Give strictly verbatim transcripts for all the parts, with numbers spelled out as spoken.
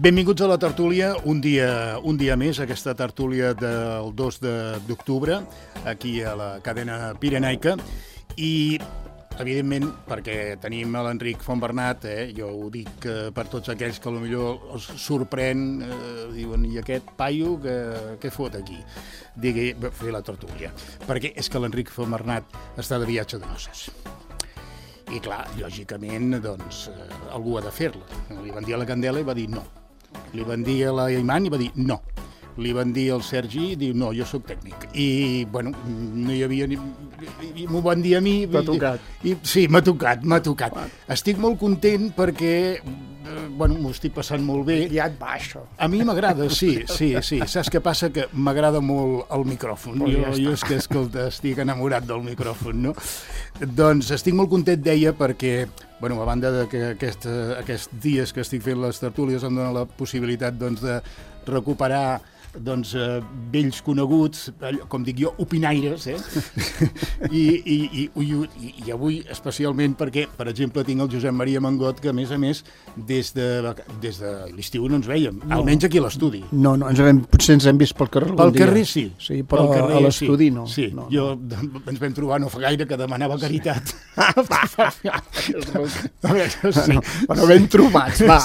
Benvinguts a la tertúlia, un dia, un dia més, aquesta tertúlia del dos d'octubre, aquí a la cadena pirenaica, i evidentment, perquè tenim l'Enric Fontbernat, eh, jo ho dic eh, per tots aquells que potser els sorprèn, eh, diuen, i aquest paio que, què fot aquí? Digui, fer la tertúlia. Perquè és que l'Enric Fontbernat està de viatge de noces. I clar, lògicament, doncs, eh, algú ha de fer-la. Li van dir a la Candela i va dir no. Li van dir a la Iman i va dir no. Li van dir al Sergi i diu no, jo sóc tècnic. I, bueno, no hi havia ni... I m'ho van dir a mi. T'ha tocat. I, sí, m'ha tocat, m'ha tocat. Estic molt content perquè, eh, bueno, m'ho estic passant molt bé. Ja et va, això. A mi m'agrada, sí, sí, sí. Saps què passa? Que m'agrada molt el micròfon. Pues jo, ja jo és que, escolta, estic enamorat del micròfon, no? Doncs estic molt content, deia, perquè, bueno, a banda de que aquest, aquests dies que estic fent les tertúlies em dona la possibilitat, doncs, de recuperar doncs, eh, vells coneguts, com dic jo, opinaires, eh? I, i, i, i, i avui especialment perquè, per exemple, tinc el Josep Maria Mangot, que a més a més, des de, des de l'estiu no ens veiem, no. Almenys aquí a l'estudi. No, no, ens hem, potser ens hem vist pel carrer Pel carrer sí. Sí, però carrer, a l'estudi no. Sí, no, jo no. Ens vam trobar no fa gaire que demanava caritat. Bueno, però ben trobats, va.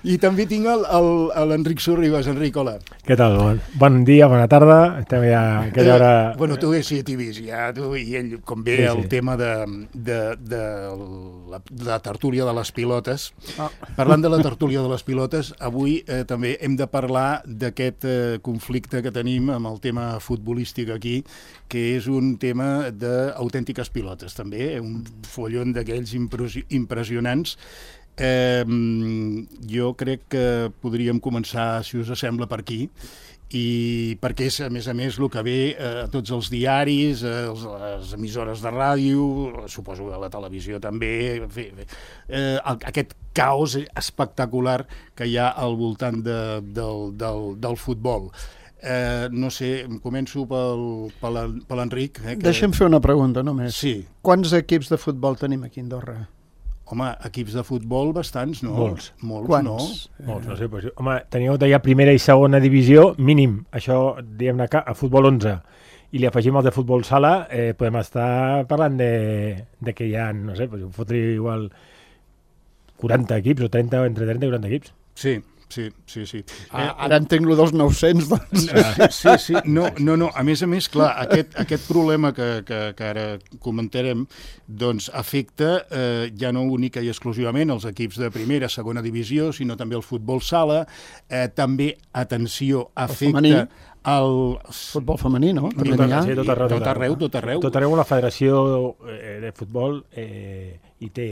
I també tinc l'Enric Sorribas. Enric, hola. Què tal? Bon, bon dia, bona tarda. Estem ja a aquella hora... Eh, bueno, tu sí, t'hi vist ja, tu i ell, com ve sí, el sí. tema de, de, de, la, de la tertúlia de les pilotes. Oh. Parlant de la tertúlia de les pilotes, avui eh, també hem de parlar d'aquest eh, conflicte que tenim amb el tema futbolístic aquí, que és un tema d'autèntiques pilotes, també, un follon d'aquells impressionants. Eh, jo crec que podríem començar, si us sembla, per aquí, i perquè és, a més a més, el que ve a tots els diaris, a les emissores de ràdio, suposo que a la televisió també, eh, aquest caos espectacular que hi ha al voltant de, del, del, del futbol. Eh, no sé, començo pel, per l'Enric. Eh, que... Deixa'm fer una pregunta només. Sí. Quants equips de futbol tenim aquí a Andorra? Home, equips de futbol bastants, no? Molts. Molts, Quants? no? Molts, no sé. Pues, home, teníeu d'allà primera i segona divisió, mínim. Això, diguem-ne, a futbol onze. I li afegim els de futbol sala, eh, podem estar parlant de, de que hi ha, no sé, pues, fotria igual quaranta equips o trenta, entre trenta i quaranta equips. Sí. Sí, sí, sí. Ah, eh, ara entenc lo dels nou-cents, doncs. Sí, sí, no, no, no. A més a més, clar, aquest, aquest problema que, que, que ara comentarem, doncs afecta eh, ja no única i exclusivament els equips de primera, segona divisió, sinó també el futbol sala, eh, també, atenció, afecta... El futbol femení, no? També tot, sí, tot arreu, tot arreu, tot arreu. Tot arreu la federació eh, de futbol eh, hi, té,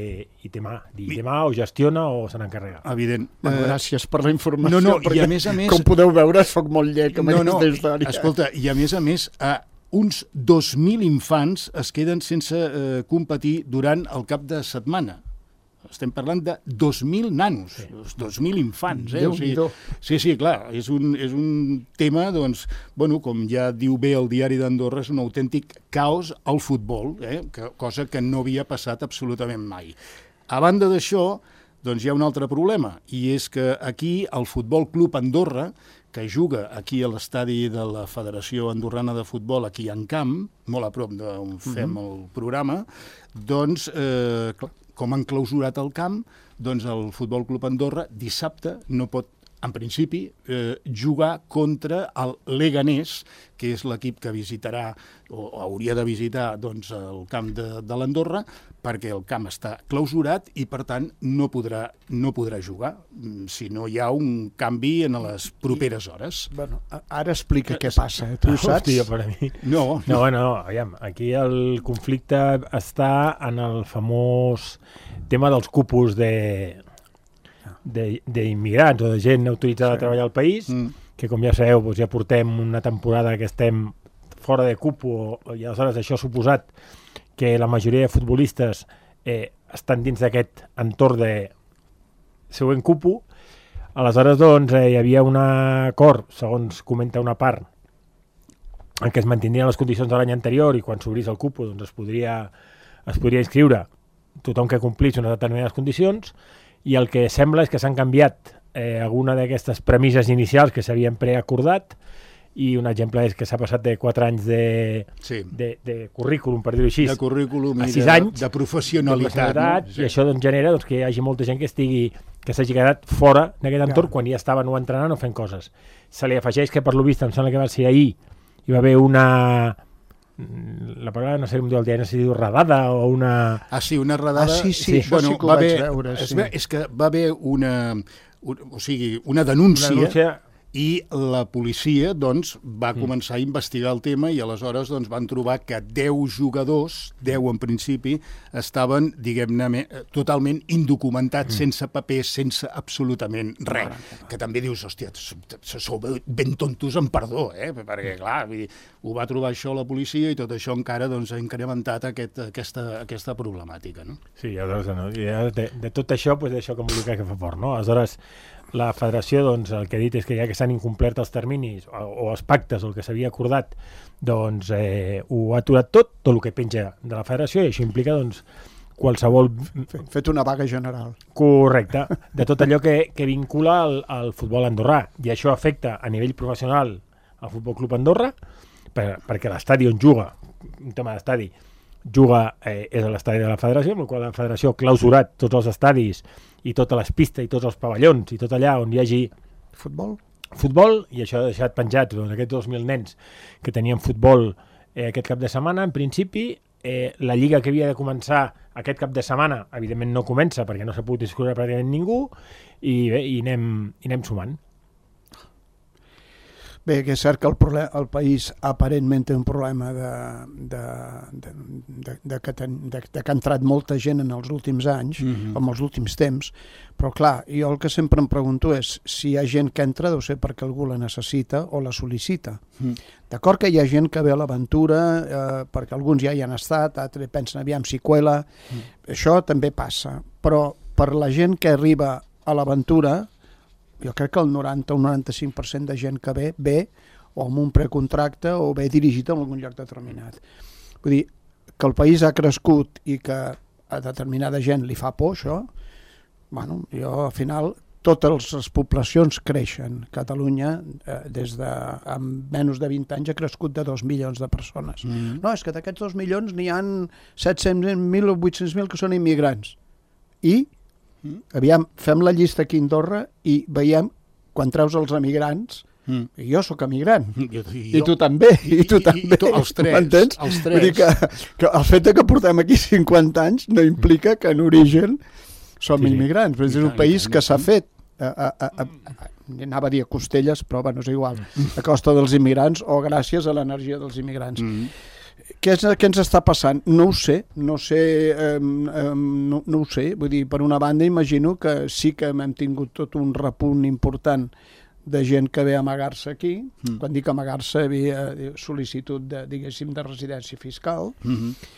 hi té mà. Hi té mà o gestiona o se n'encarrega. Evident. Bueno, gràcies per la informació. No, no, i a més a més... Com podeu veure, soc molt llec amb no, no, aquesta història. Escolta, i a més a més, a uns dos mil infants es queden sense eh, competir durant el cap de setmana. Estem parlant de dos mil nanos, sí. dos mil infants. Eh? O sigui, sí, sí, clar, és un, és un tema, doncs, bueno, com ja diu bé el diari d'Andorra, és un autèntic caos al futbol, eh? que, cosa que no havia passat absolutament mai. A banda d'això, doncs hi ha un altre problema, i és que aquí el Futbol Club Andorra, que juga aquí a l'estadi de la Federació Andorrana de Futbol, aquí en Camp, molt a prop d'on fem mm-hmm. el programa, doncs, eh, clar, com han clausurat el camp, doncs el Futbol Club Andorra dissabte no pot, en principi, eh, jugar contra el Leganés, que és l'equip que visitarà o hauria de visitar doncs, el camp de, de l'Andorra, perquè el camp està clausurat i, per tant, no podrà, no podrà jugar si no hi ha un canvi en les properes hores. Bueno, ara explica què passa, eh? Tu ho saps? Hòstia, per a mi. No, no, bueno, no, aviam, aquí el conflicte està en el famós tema dels cupos de d'immigrants o de gent autoritzada sí. a treballar al país, mm. que com ja sabeu doncs ja portem una temporada que estem fora de cupo i aleshores això ha suposat que la majoria de futbolistes eh, estan dins d'aquest entorn de següent cupo. Aleshores, doncs, eh, hi havia un acord, segons comenta una part, en què es mantindrien les condicions de l'any anterior i quan s'obrís el cupo doncs es podria, es podria inscriure tothom que complís unes determinades condicions i el que sembla és que s'han canviat eh, alguna d'aquestes premisses inicials que s'havien preacordat, i un exemple és que s'ha passat de quatre anys de, sí. de, de currículum, per dir-ho així, de currículum a i sis de, anys, de professionalitat. De no? Sí. I això doncs, genera doncs, que hi hagi molta gent que estigui que s'hagi quedat fora d'aquest entorn, ja. quan ja estaven o entrenant o fent coses. Se li afegeix que per lo vist, em sembla que va ser ahir, hi va haver una... la paraula no sé com diu el dia, no sé si diu redada o una... Ah, sí, una redada... Ah, sí, sí, sí. Això bueno, sí que ho vaig haver, veure. Sí. És, és que va haver una... Un, o sigui, una denúncia... Una denúncia i la policia doncs, va mm. començar a investigar el tema i aleshores doncs, van trobar que deu jugadors, deu en principi, estaven, diguem-ne, totalment indocumentats, mm. sense papers, sense absolutament res. Ah, que també dius, hòstia, sou ben tontos en perdó, eh? Perquè, clar, vull dir, ho va trobar això la policia i tot això encara doncs, ha incrementat aquest, aquesta, aquesta problemàtica. No? Sí, aleshores, no? de, de tot això, doncs, això que em diu que fa fort, no? Aleshores, la federació, doncs, el que ha dit és que ja que s'han incomplert els terminis o, o els pactes o el que s'havia acordat, doncs eh, ho ha aturat tot, tot el que penja de la federació, i això implica doncs, qualsevol... Fet una vaga general. Correcte, de tot allò que, que vincula al, al futbol andorrà, i això afecta a nivell professional al Futbol Club Andorra, per, perquè l'estadi on juga, un tema d'estadi, juga eh, és a l'estadi de la federació, amb el qual la federació ha clausurat tots els estadis i totes les pistes i tots els pavellons i tot allà on hi hagi futbol, futbol i això ha deixat penjats doncs, aquests dos mil nens que tenien futbol eh, aquest cap de setmana. En principi, eh, la lliga que havia de començar aquest cap de setmana, evidentment no comença perquè no s'ha pogut inscriure pràcticament ningú, i bé, i anem, i anem sumant. Bé, que és cert que el, problema, el país aparentment té un problema de, de, de, de, de, que ten, de, de que ha entrat molta gent en els últims anys, mm-hmm. o en els últims temps, però clar, jo el que sempre em pregunto és si hi ha gent que entra deu ser perquè algú la necessita o la sol·licita. Mm. D'acord que hi ha gent que ve a l'aventura eh, perquè alguns ja hi han estat, altres pensen aviam si cuela, mm. això també passa, però per la gent que arriba a l'aventura, jo crec que el noranta o noranta-cinc per cent de gent que ve, ve o amb un precontracte o ve dirigit a algun lloc determinat. Vull dir, que el país ha crescut i que a determinada gent li fa por això, bueno, jo al final totes les poblacions creixen. Catalunya, eh, des de amb menys de vint anys, ha crescut de dos milions de persones. Mm-hmm. No, és que d'aquests dos milions n'hi ha set-cents mil o vuit-cents mil que són immigrants. I Mm. aviam, fem la llista aquí a Andorra i veiem, quan treus els emigrants, mm. jo sóc emigrant, jo, jo, i tu també, i, i tu i, també, i, i els tres, m'entens? Els tres. Vull dir que, que el fet que portem aquí cinquanta anys no implica que en origen som sí, immigrants, però és un país que s'ha fet, a, a, a, a, anava a dir a costelles, però bueno, és igual, a costa dels immigrants o gràcies a l'energia dels immigrants. Mm. Què, és, què ens està passant? No ho sé, no sé, eh, eh, no, no ho sé. Vull dir, per una banda imagino que sí que hem tingut tot un repunt important de gent que ve a amagar-se aquí. Mm. Quan dic amagar-se, havia sol·licitud de, diguéssim, de residència fiscal. Mm-hmm.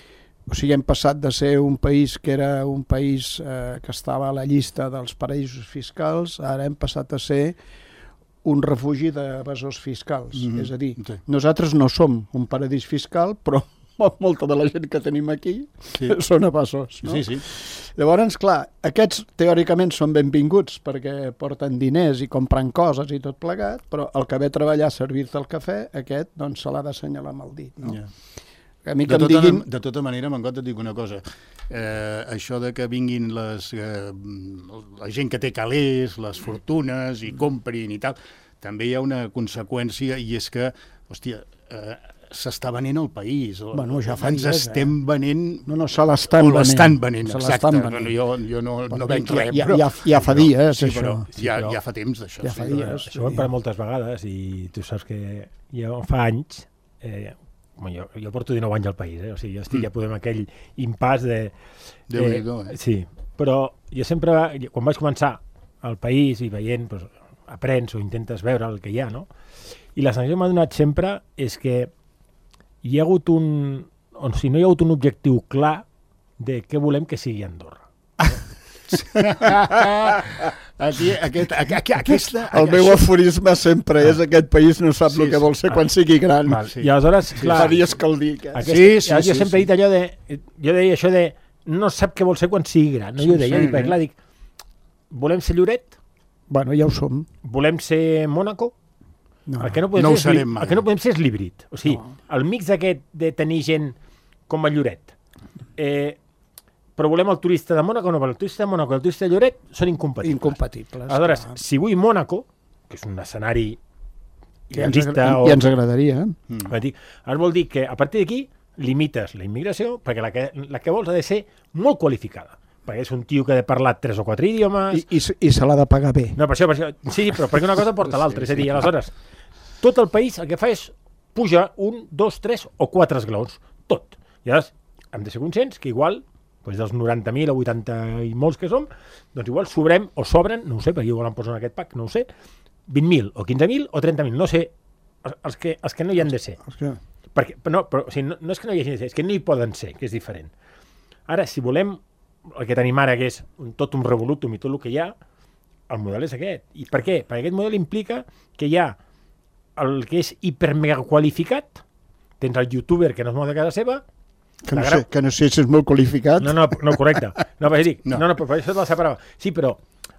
O sigui, hem passat de ser un país que era un país eh, que estava a la llista dels paraïsos fiscals, ara hem passat a ser un refugi d'evasors fiscals. Mm-hmm. És a dir, sí. Nosaltres no som un paradís fiscal, però molta de la gent que tenim aquí sí. són evasors. No? Sí, sí. Llavors, clar, aquests teòricament són benvinguts perquè porten diners i compren coses i tot plegat, però el que ve a treballar a servir-te el cafè, aquest doncs se l'ha d'assenyalar amb el dit. No? Yeah. A mi que de, em tota, diguin... de tota manera, Mangot, et dic una cosa. Eh, això de que vinguin les, eh, la gent que té calés, les fortunes, i comprin i tal, també hi ha una conseqüència, i és que, hòstia, eh, s'està venent el país. Bueno, ja fa Ens dies, estem eh? venent... No, no, se l'estan venent. l'estan venent, se exacte. venent. Bueno, jo, jo no, bueno, no venc res, ja, però... Ja, ja fa dies, sí, això. Però, sí, ja, però, ja fa temps d'això. Ja fa sí, dies. Això ho hem parlat moltes vegades, i tu saps que jo fa anys... Eh, jo, jo porto dinou anys al país, eh? O sigui, jo estic mm. ja podem aquell impàs de... de eh, eh? Sí, però jo sempre, quan vaig començar al país i veient, doncs, aprens o intentes veure el que hi ha, no? I la sensació que m'ha donat sempre és que hi ha hagut un... o si no hi ha hagut un objectiu clar de què volem que sigui Andorra. Aquí, aquest, aquest, aquesta, el meu això... aforisme sempre és aquest país no sap sí, el que vol ser ah, quan sigui gran. Val, sí. I aleshores, sí, clar... Fa dies que el dic. Eh? Aquest, sí, sí, jo sí, sempre sí. he dit allò de... Jo deia això de no sap què vol ser quan sigui gran. No? Sí, Jo deia, sí, dic, perquè, clar, dic, volem ser Lloret? Bueno, ja ho som. Volem ser Mònaco? No, el que no podem, no ho ser, serem és, mai. el que no podem ser és l'híbrid. O sigui, No. el mix aquest de tenir gent com a Lloret. Eh, però volem el turista de Mònaco, no, però el turista de Mònaco i el turista de Lloret són incompatibles. Incompatibles. Aleshores, clar. si vull Mònaco, que és un escenari Que ens, idealista... agra o... I ens agradaria. Mm. Ara vol dir que a partir d'aquí limites la immigració perquè la que, la que vols ha de ser molt qualificada. Perquè és un tio que ha de parlar tres o quatre idiomes... I, i, i se l'ha de pagar bé. No, per això, per això, sí, però perquè una cosa porta l'altra. És a dir, aleshores, tot el país el que fa és pujar un, dos, tres o quatre esglaons. Tot. I llavors hem de ser conscients que igual, doncs dels noranta mil o vuitanta i molts que som, doncs igual sobrem o sobren, no ho sé, perquè igual em posen en aquest pack, no ho sé, vint mil o quinze mil o trenta mil, no sé, els, els, que, els que no hi han de ser. És que... Perquè, no, però, o sigui, no, no és que no hi hagi de ser, és que no hi poden ser, que és diferent. Ara, si volem el que tenim ara, que és un, tot un revolutum i tot el que hi ha, el model és aquest. I per què? Perquè aquest model implica que hi ha el que és hipermega qualificat, tens el youtuber que no es mou de casa seva, Que no, La gran- sé, que no sé si és molt qualificat. no, no, no, correcte. No, però dic, No. no, no, però això te la separava. Sí, però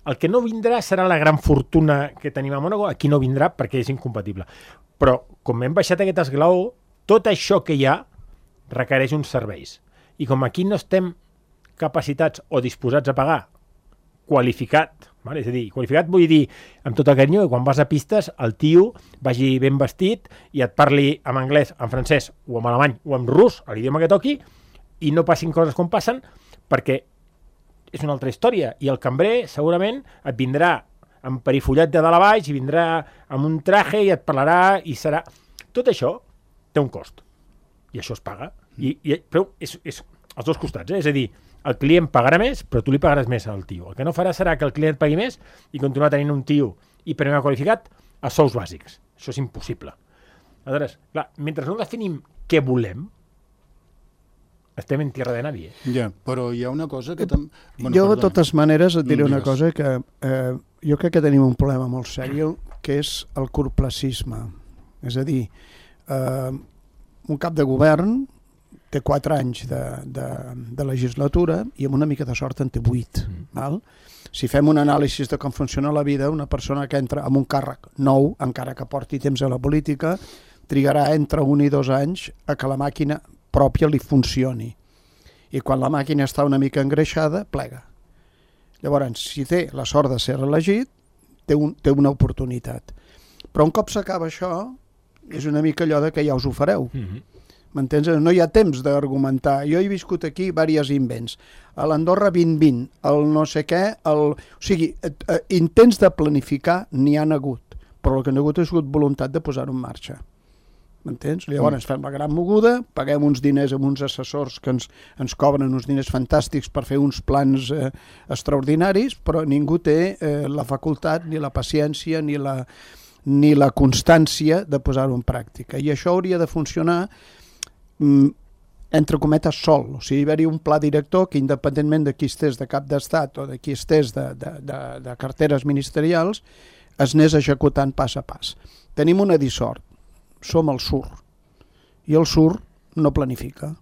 el que no vindrà serà la gran fortuna que tenim a Mònaco, aquí no vindrà perquè és incompatible. Però, com hem baixat aquest esglaó, tot això que hi ha requereix uns serveis. I com aquí no estem capacitats o disposats a pagar qualificat, vale? És a dir, qualificat vull dir, amb tot el carinyo, que quan vas a pistes el tio vagi ben vestit i et parli en anglès, en francès o en alemany o en rus, a l'idioma que toqui, i no passin coses com passen, perquè és una altra història. I el cambrer segurament et vindrà amb perifollat de dalt a baix i vindrà amb un traje i et parlarà i serà... Tot això té un cost. I això es paga. I, i, però és, és als dos costats, eh? És a dir, el client pagarà més, però tu li pagaràs més al tio. El que no farà serà que el client pagui més i continuar tenint un tio hipermega qualificat a sous bàsics. Això és impossible. Aleshores, clar, mentre no definim què volem, estem en tierra de nadie. Ja, però hi ha una cosa que... Tam... Bueno, jo, de perdona. totes maneres, et diré No, una digues. cosa que eh, jo crec que tenim un problema molt sèrio, que és el curtplacisme. És a dir, eh, un cap de govern té quatre anys de, de, de legislatura i amb una mica de sort en té vuit. Mm. Val? Si fem un anàlisi de com funciona la vida, una persona que entra amb un càrrec nou, encara que porti temps a la política, trigarà entre un i dos anys a que la màquina pròpia li funcioni. I quan la màquina està una mica engreixada, plega. Llavors, si té la sort de ser reelegit, té, un, té una oportunitat. Però un cop s'acaba això, és una mica allò de que ja us ho fareu. Mm-hmm. M'entens? No hi ha temps d'argumentar. Jo he viscut aquí diversos invents. A l'Andorra vint vint, el no sé què... El... O sigui, eh, eh, intents de planificar n'hi han hagut, però el que no ha hagut ha sigut voluntat de posar-ho en marxa. M'entens? Llavors fem la gran moguda, paguem uns diners amb uns assessors que ens, ens cobren uns diners fantàstics per fer uns plans eh, extraordinaris, però ningú té eh, la facultat, ni la paciència, ni la, ni la constància de posar-ho en pràctica. I això hauria de funcionar entre cometes sol, o sigui, hi hauria un pla director que independentment de qui estés de cap d'estat o de qui estés de, de, de, de carteres ministerials es anés executant pas a pas. Tenim una dissort, som el sur, i el sur no planifica,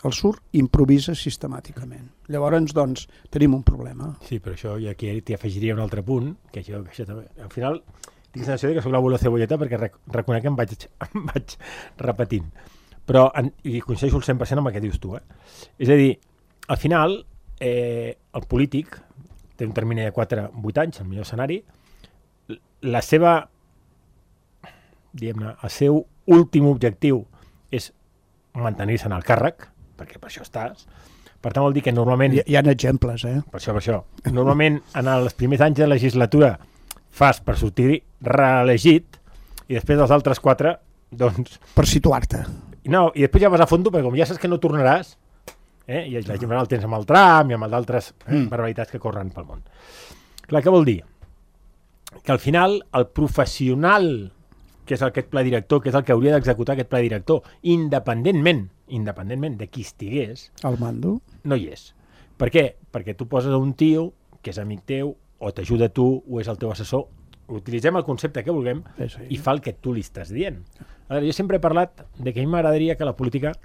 el sur improvisa sistemàticament. Llavors, doncs, tenim un problema. Sí, però això ja aquí t'hi afegiria un altre punt, que això, que això també... Al final, tinc la sensació que soc l'abuelo cebolleta perquè rec reconec que em vaig, em vaig repetint. Però, en, i coincideixo al cent per cent amb el que dius tu, eh? És a dir, al final, eh, el polític té un termini de quatre a vuit anys, el millor escenari, la seva, diguem-ne, el seu últim objectiu és mantenir-se en el càrrec, perquè per això estàs. Per tant, vol dir que normalment... Hi, hi ha exemples, eh? Per això, per això. Normalment, en els primers anys de legislatura fas per sortir reelegit i després dels altres quatre, doncs... Per situar-te. No, i després ja vas a fondo, perquè com ja saps que no tornaràs, eh, i la gent el tens amb el tram i amb d'altres eh, mm. barbaritats que corren pel món. Clar, què vol dir? Que al final el professional, que és aquest pla director, que és el que hauria d'executar aquest pla director, independentment, independentment de qui estigués, al mando, no hi és. Per què? Perquè tu poses un tio que és amic teu, o t'ajuda a tu, o és el teu assessor, utilitzem el concepte que vulguem sí, sí. i fa el que tu li estàs dient. Ara, jo sempre he parlat de que a mi m'agradaria que la política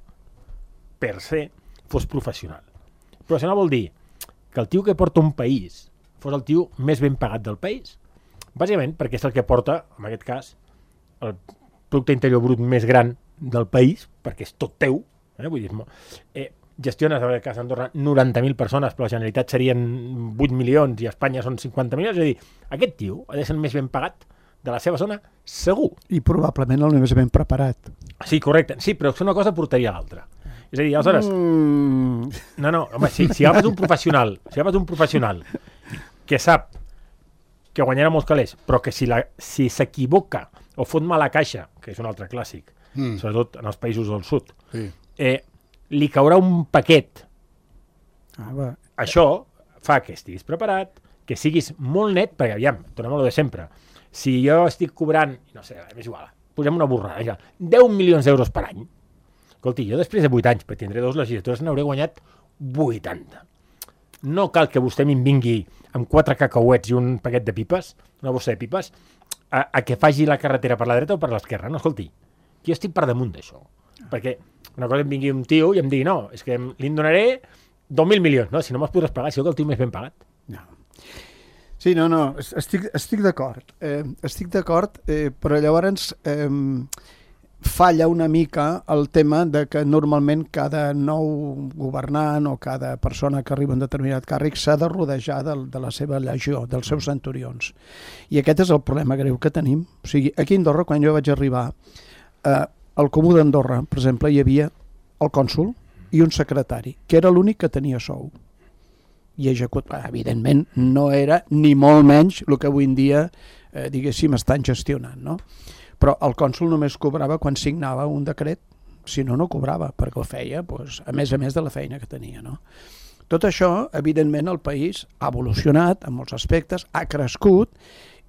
per se fos professional. Professional vol dir que el tio que porta un país fos el tio més ben pagat del país. Bàsicament perquè és el que porta, en aquest cas, el producte interior brut més gran del país, perquè és tot teu, eh? Vull dir, eh, gestiones, en aquest cas, a Andorra, noranta mil persones, però la Generalitat serien vuit milions i a Espanya són cinquanta milions, és a dir, aquest tio ha de ser el més ben pagat de la seva zona, segur. I probablement el més ben preparat. Sí, correcte. Sí, però una cosa portaria a l'altra. És a dir, aleshores... Mm. No, no, home, si, si agafes un professional, si agafes un professional que sap que guanyarà molts calés, però que si la, si s'equivoca o fot mala caixa, que és un altre clàssic, mm. sobretot en els països del sud, sí. eh, li caurà un paquet. Ah, Això fa que estiguis preparat, que siguis molt net, perquè aviam, tornem a lo de sempre, si jo estic cobrant, no sé, és igual, posem una borrada, ja, deu milions d'euros per any, escolti, jo després de vuit anys, perquè tindré dues legislatures, n'hauré guanyat vuitanta. No cal que vostè me'n vingui amb quatre cacauets i un paquet de pipes, una bossa de pipes, a, a que faci la carretera per la dreta o per l'esquerra. No, escolti, jo estic per damunt d'això. Perquè una cosa em vingui un tio i em digui, no, és que li en donaré dos mil milions, no? Si no me'ls podràs pagar, si jo que el tio més ben pagat. No. Sí, no, no, estic, estic d'acord. Eh, estic d'acord, eh, però llavors eh, falla una mica el tema de que normalment cada nou governant o cada persona que arriba a un determinat càrrec s'ha de rodejar de, de la seva legió, dels seus centurions. I aquest és el problema greu que tenim. O sigui, aquí a Andorra, quan jo vaig arribar, eh, al Comú d'Andorra, per exemple, hi havia el cònsol i un secretari, que era l'únic que tenia sou. I execut, evidentment, no era ni molt menys el que avui en dia, eh, diguéssim, estan gestionant, no? Però el cònsol només cobrava quan signava un decret, si no, no cobrava, perquè ho feia, doncs, a més a més de la feina que tenia, no? Tot això, evidentment, el país ha evolucionat en molts aspectes, ha crescut,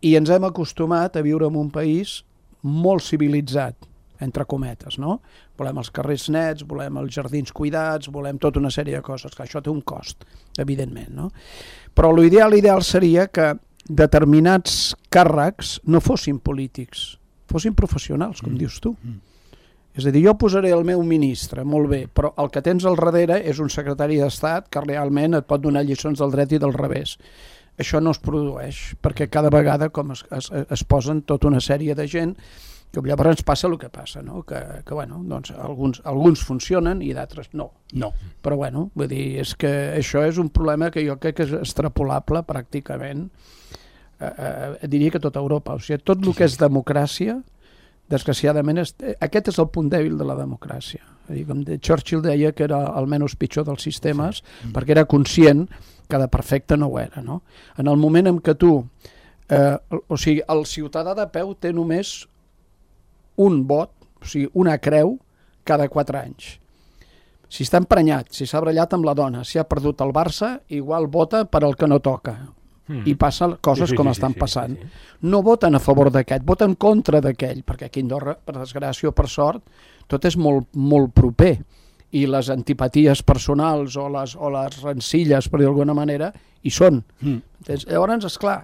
i ens hem acostumat a viure en un país molt civilitzat, entre cometes, no? Volem els carrers nets, volem els jardins cuidats, volem tota una sèrie de coses, que això té un cost, evidentment, no? Però l'ideal ideal seria que determinats càrrecs no fossin polítics, fossin professionals, com mm. dius tu. Mm. És a dir, jo posaré el meu ministre, molt bé, però el que tens al darrere és un secretari d'Estat que realment et pot donar lliçons del dret i del revés. Això no es produeix, perquè cada vegada com es, es, es posen tota una sèrie de gent que llavors ens passa el que passa, no? Que, que bueno, doncs alguns, alguns funcionen i d'altres no. No. Però bueno, vull dir, és que això és un problema que jo crec que és extrapolable pràcticament, eh, eh, diria que tota Europa. O sigui, tot el que és democràcia, desgraciadament, és, aquest és el punt dèbil de la democràcia. És dir, com de Churchill deia que era el menys pitjor dels sistemes, sí. perquè era conscient que de perfecte no ho era, no? En el moment en què tu, eh, o sigui, el ciutadà de peu té només un vot, o sigui, una creu cada quatre anys. Si està emprenyat, si s'ha barallat amb la dona, si ha perdut el Barça, igual vota per al que no toca. Mm. I passen coses sí, sí, com sí, estan sí, passant. Sí, sí. No voten a favor d'aquest, voten en contra d'aquell, perquè aquí a Andorra, per desgràcia o per sort, tot és molt, molt proper. I les antipaties personals o les, o les rencilles, per dir d'alguna manera, hi són. Mm. Llavors, esclar,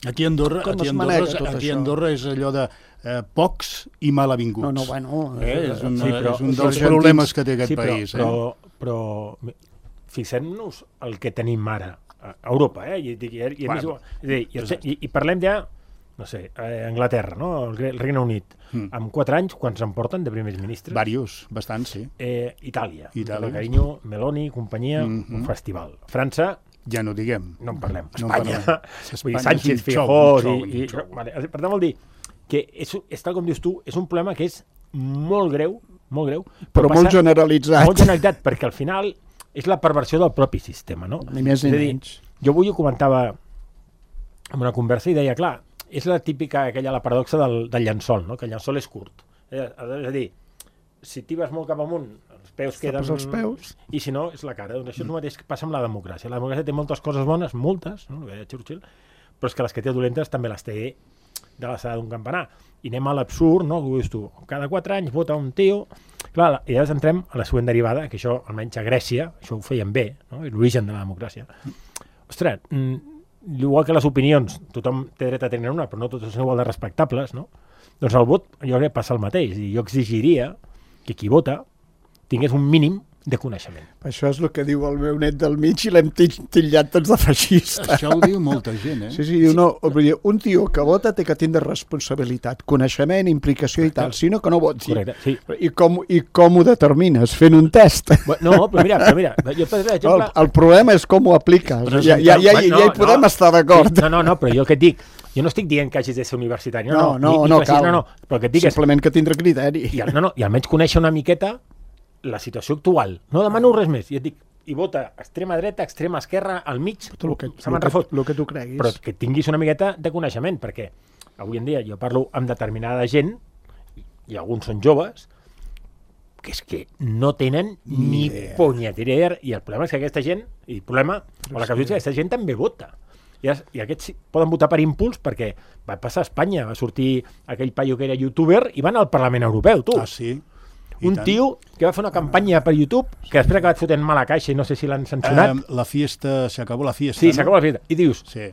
aquí a Andorra, aquí a Andorra, aquí a Andorra és allò de eh, pocs i mal avinguts. No, no, bueno... Eh, és, una, sí, però, és un dels problemes que té aquest sí, però, país. Però, eh? però, però fixem-nos el que tenim ara a Europa, eh? I, i, i, bueno, i, i, i, i parlem ja, no sé, eh, Anglaterra, no? El Regne Unit, mm. amb quatre anys, quants en porten de primers ministres? Varios, bastants, sí. Eh, Itàlia, Itàlia. Carinyo, Meloni, companyia, mm-hmm. un festival. França, ja no diguem. No en parlem. No Espanya, en parlem. Espanya Sánchez, Feijóo... I, i, vale, per tant, vol dir que és, és tal com dius tu, és un problema que és molt greu, molt greu, però, però molt generalitzat. Molt generalitzat, perquè al final és la perversió del propi sistema, no? Ni més ni menys. Jo avui ho comentava en una conversa i deia, clar, és la típica, aquella, la paradoxa del, del llençol, no? Que el llençol és curt. És a dir, si t'hi vas molt cap amunt, els peus queden... els peus. I si no, és la cara. Doncs això és el mateix que passa amb la democràcia. La democràcia té moltes coses bones, moltes, no? El que deia Churchill, però és que les que té dolentes també les té de l'alçada d'un campanar. I anem a l'absurd, no? Que dius tu, cada quatre anys vota un tio... Clar, i llavors entrem a la següent derivada, que això, almenys a Grècia, això ho feien bé, no? L'origen de la democràcia. Ostres, igual que les opinions, tothom té dret a tenir una, però no totes són igual de respectables, no? Doncs el vot, jo crec que passa el mateix. I jo exigiria que qui vota tingués un mínim de coneixement. Això és el que diu el meu net del mig i l'hem titllat tots de feixista. Això ho diu molta gent, eh? Sí, sí, diu, no, un tio que vota té que tindre responsabilitat, coneixement, implicació i tal, sinó que no voti. Correcte, sí. I com, i com ho determines? Fent un test. No, però mira, però mira jo, per exemple... el, el problema és com ho apliques. Ja, ja, ja, ja, ja hi podem no, estar d'acord. No, no, no, però jo el que et dic, jo no estic dient que hagis de ser universitari. No, no, no, no, no, no cal. No, no, però el que et dic simplement és... que tindre criteri. I, no, no, i almenys conèixer una miqueta la situació actual. No demano res més. I et dic, i vota extrema dreta, extrema esquerra, al mig, el que, se me'n refot. El que tu creguis. Però que tinguis una miqueta de coneixement, perquè avui en dia jo parlo amb determinada gent, i alguns són joves, que és que no tenen ni, ni punyetera idea. I el problema és que aquesta gent, i el problema, o la casuística, aquesta gent també vota. I, es, i aquests poden votar per impuls perquè va passar a Espanya, va sortir aquell paio que era youtuber i van al Parlament Europeu, tu. Ah, sí? I un tant. Tio que va fer una campanya per YouTube que després ha acabat fotent mala caixa i no sé si l'han sancionat. Um, la fiesta, s'acabó la fiesta, Sí, no? s'acabó la fiesta. I dius, sí.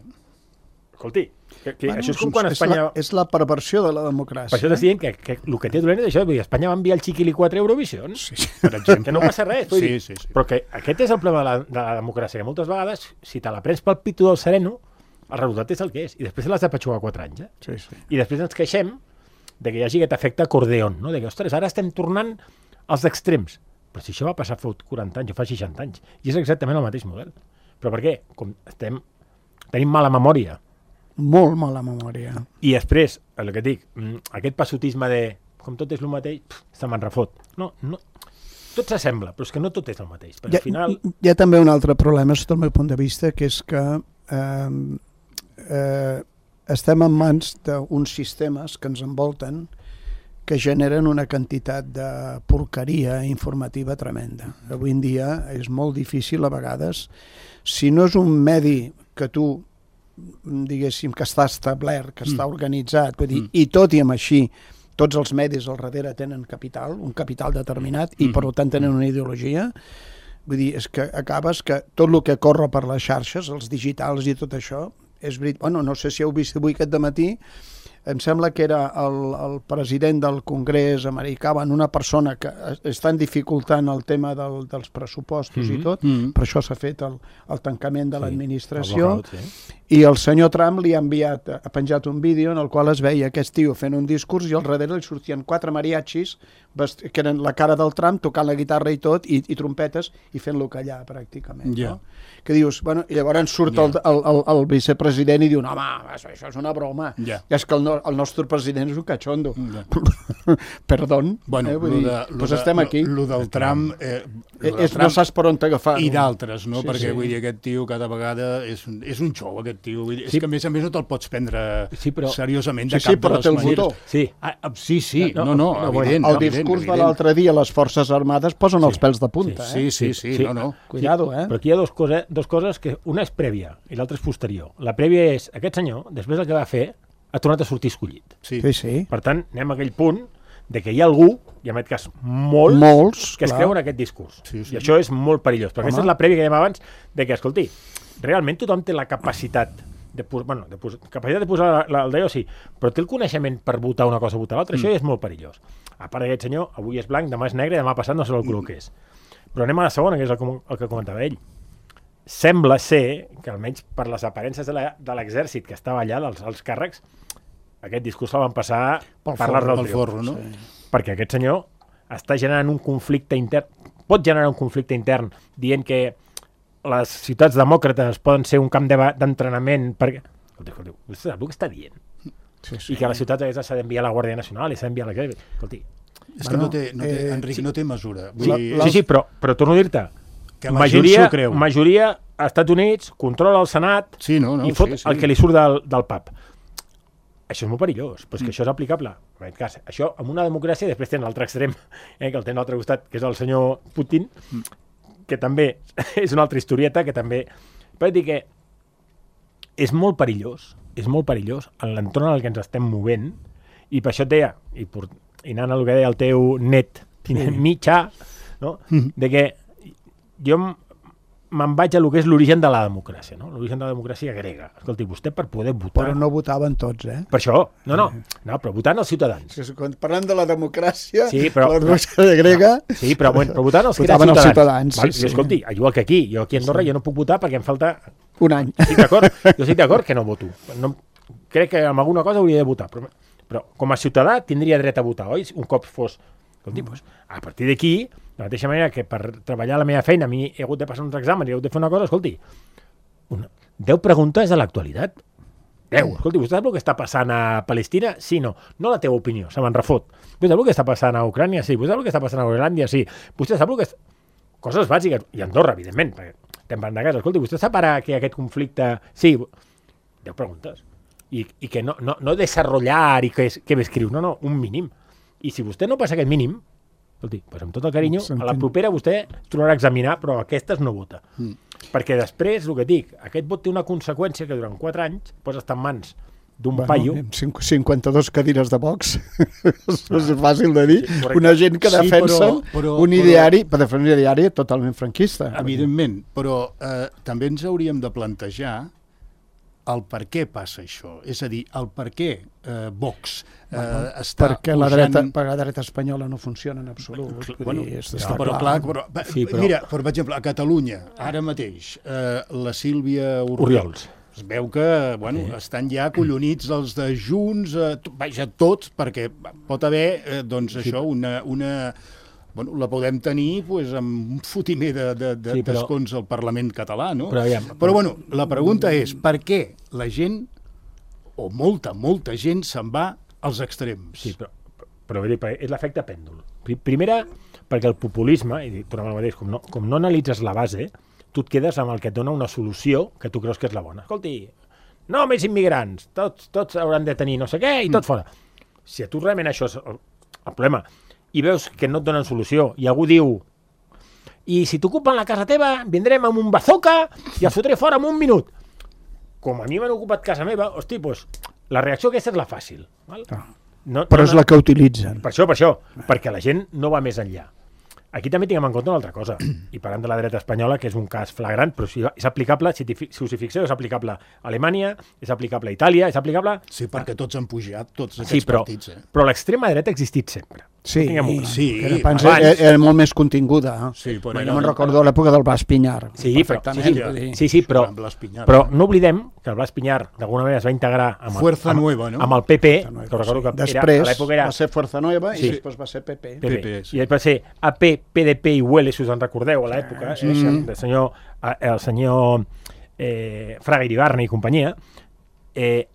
escolti, que, que bueno, això és com quan és Espanya... La, és la perversió de la democràcia. Per això t'estic dient que, que el que té dolent és això, vull dir, Espanya va enviar el Chiquili quatre a Eurovision, sí, per exemple, que no passa res. Sí, dir, sí, sí. Però que aquest és el problema de la, de la democràcia, que moltes vegades, si te la prens pel pito del sereno, el resultat és el que és. I després l'has de patxugar quatre anys. Eh? Sí, sí. I després ens queixem de que hi hagi aquest efecte acordeon, no? De que, ostres, ara estem tornant als extrems. Però si això va passar fa quaranta anys o fa seixanta anys, i és exactament el mateix model. Però per què? Com estem... tenim mala memòria. Molt mala memòria. I després, el que et dic, aquest passotisme de com tot és el mateix, pff, se me'n refot. No, no, tot s'assembla, però és que no tot és el mateix. Perquè Hi ha, al final... hi ha també un altre problema, sota el meu punt de vista, que és que eh, eh, estem en mans d'uns sistemes que ens envolten que generen una quantitat de porqueria informativa tremenda. Avui en dia és molt difícil a vegades, si no és un medi que tu, diguéssim, que està establert, que està organitzat, vull dir, mm. i tot i amb així, tots els medis al darrere tenen capital, un capital determinat, i per tant tenen una ideologia, vull dir, és que acabes que tot el que corre per les xarxes, els digitals i tot això, és veritat. Bueno, no sé si heu vist avui aquest dematí, em sembla que era el, el president del Congrés americà, en una persona que estan dificultant el tema del, dels pressupostos mm-hmm. i tot, mm-hmm. per això s'ha fet el, el tancament de sí, l'administració, el sí. I el senyor Trump li ha enviat, ha penjat un vídeo en el qual es veia aquest tio fent un discurs i al darrere li sortien quatre mariachis que eren la cara del Trump tocant la guitarra i tot, i, i trompetes, i fent-lo callar pràcticament. Yeah. No? Que dius, bueno, i llavors surt yeah. el, el, el, el vicepresident i diu, no, home, això, això és una broma. Yeah. I és que el, no, el nostre president és un cachondo. Yeah. Perdón. Bueno, eh? Vull dir, de, doncs de, estem aquí. Lo del Trump... Eh, lo del és, Trump no saps per on t'agafar. I d'altres, no? Sí, Perquè, sí. vull dir, aquest tio cada vegada és, és un xou, aquest tio. Vull dir, sí. És que, a més a més, no te'l pots prendre sí, però... seriosament de sí, sí, cap de les maneres. Sí, ah, sí, sí. No, no, no, no, evident. El discurs evident, de l'altre dia, les Forces Armades posen sí. els pèls de punta, sí, eh? Sí, sí, sí, sí, no, no. Cuidado, eh? Però aquí hi ha dos coses, dos coses que una és prèvia i l'altra és posterior. La prèvia és, aquest senyor, després del que va fer, ha tornat a sortir escollit. Sí, sí. sí. Per tant, anem a aquell punt de que hi ha algú, i en aquest cas molts, molts que es clar. creuen aquest discurs. Sí, sí. I això és molt perillós, perquè Home. aquesta és la prèvia que dèiem abans, de que, escolti, realment tothom té la capacitat de, bueno, de, posar, capacitat de posar la, la, el dedo, sí, però té el coneixement per votar una cosa o votar l'altra, mm. això és molt perillós. A part d'aquest senyor, avui és blanc, demà és negre, demà passat no sé el color que és. Però anem a la segona, que és el, el que comentava ell. Sembla ser que, almenys per les aparences de l'exèrcit que estava allà, dels els càrrecs, aquest discurs el van passar pel per l'art del forro, no? Sí. Perquè aquest senyor està generant un conflicte intern, pot generar un conflicte intern dient que les ciutats demòcrates poden ser un camp d'entrenament perquè... Escolta, escolta, vostè sap el que està dient? Sí, sí. I que a les ciutats aquestes s'ha d'enviar la Guàrdia Nacional i s'ha d'enviar la... Escolti... És que bueno, no té, no té, eh, Enric, sí. no té mesura. Vull la, dir... Sí, sí, però, però torno a dir-te, majoria, majoria als Estats Units controla el Senat sí, no, no, i fot sí, sí. el que li surt del, del pub. Això és molt perillós, però és que mm. això és aplicable. En aquest cas, això amb una democràcia, després tenen l'altre extrem, eh, que el tenen a l'altre costat, que és el senyor Putin, mm. que també és una altra historieta, que també... Però dir que és molt perillós, és molt perillós en l'entorn en el que ens estem movent, i per això et deia, i, por, i anant a el que deia el teu net, mm. mitjà, no? Mm. de que jo me'n vaig a lo que és l'origen de la democràcia, no? L'origen de la democràcia grega. Escolti, vostè per poder votar... Però no votaven tots, eh? Per això, no, no, no però votant els ciutadans. Sí, quan parlem de la democràcia, sí, però, la democràcia grega... No, sí, però, bueno, però votant els que eren ciutadans. ciutadans. Val? Sí, jo, escolti, igual que aquí, jo aquí a Andorra sí. jo no puc votar perquè em falta... Un any. Estic d'acord, jo estic d'acord que no voto. No, crec que amb alguna cosa hauria de votar, però, però com a ciutadà tindria dret a votar, oi? Un cop fos... Escolti, doncs, a partir d'aquí... De la mateixa manera que per treballar la meva feina a mi he hagut de passar uns exàmens i he hagut de fer una cosa, escolti, una, deu preguntes de l'actualitat. Deu. Escolti, vostè sap el que està passant a Palestina? Sí, no. No la teva opinió, se me'n refot. Vostè sap el que està passant a Ucrània? Sí. Vostè sap el que està passant a Groenlàndia? Sí. Vostè sap el que... Coses bàsiques. I Andorra, evidentment, perquè estem parlant de casa. Escolti, vostè sap ara que aquest conflicte... Sí. Deu preguntes. I, i que no, no, no desenvolupar i que, que m'escriu. No, no, un mínim. I si vostè no passa aquest mínim, escolti, doncs amb tot el carinyo, a la propera vostè trobarà a examinar, però aquestes no vota. Mm. Perquè després, el que dic, aquest vot té una conseqüència que durant quatre anys pots estar en mans d'un bueno, paio... cinquanta-dues cadires de Vox, és fàcil de dir. Sí, una gent que defensa sí, però, però, un ideari, però, per defensar un ideari totalment franquista. Evidentment, però eh, també ens hauríem de plantejar el per què passa això, és a dir, el per què eh, Vox eh, bueno, està perquè pujant... la dreta, perquè la dreta espanyola no funciona en absolut. Cl bueno, dir, no, però clar, però, sí, però... mira, per exemple, a Catalunya, ara mateix, eh, la Sílvia Oriols, es veu que bueno, sí. estan ja acollonits els de Junts, eh, vaja, tots, perquè pot haver eh, doncs, sí. això, una... una Bueno, la podem tenir pues, amb un fotimer de, de, de sí, però... d'escons al Parlament català, no? Però, ja, però bueno, la pregunta és per què la gent, o molta, molta gent, se'n va als extrems? Sí, però, però és l'efecte pèndol. Primera, perquè el populisme, i tornem al mateix, com no, com no analitzes la base, tu et quedes amb el que et dona una solució que tu creus que és la bona. Escolti, no més immigrants, tots, tots hauran de tenir no sé què i tot mm. fora. Si a tu realment això és el, el problema... i veus que no et donen solució, i algú diu i si t'ocupen la casa teva vindrem amb un bazooka i els fotré fora en un minut. Com a mi m'han ocupat casa meva, hosti, doncs la reacció aquesta és la fàcil. Val? Ah. No, però no, és la que utilitzen. Per això, per això, perquè la gent no va més enllà. Aquí també tinguem en compte una altra cosa, i parlant de la dreta espanyola, que és un cas flagrant, però si és aplicable, si, si us hi fixeu, és aplicable a Alemanya, és aplicable a Itàlia, és aplicable... Sí, perquè tots han pujat, tots aquests sí, però, partits. Eh? Però l'extrema dreta ha existit sempre. Sí, no sí, que abans era, era molt més continguda. Eh? Sí, però jo me'n recordo l'època del Blas Piñar. Sí, però, sí, sí, sí, sí, però, però no oblidem que el Blas Piñar d'alguna manera es va integrar amb el, Fuerza amb, Nueva, no? amb el P P, Nueva, que recordo que després era, a l'època era... va ser Fuerza Nueva sí. i després va ser P P. P P. P P sí. I després va ser A P, P D P i U L, si us en recordeu, a l'època, sí, sí. el senyor, el senyor eh, Fraga Iribarne i companyia. Eh,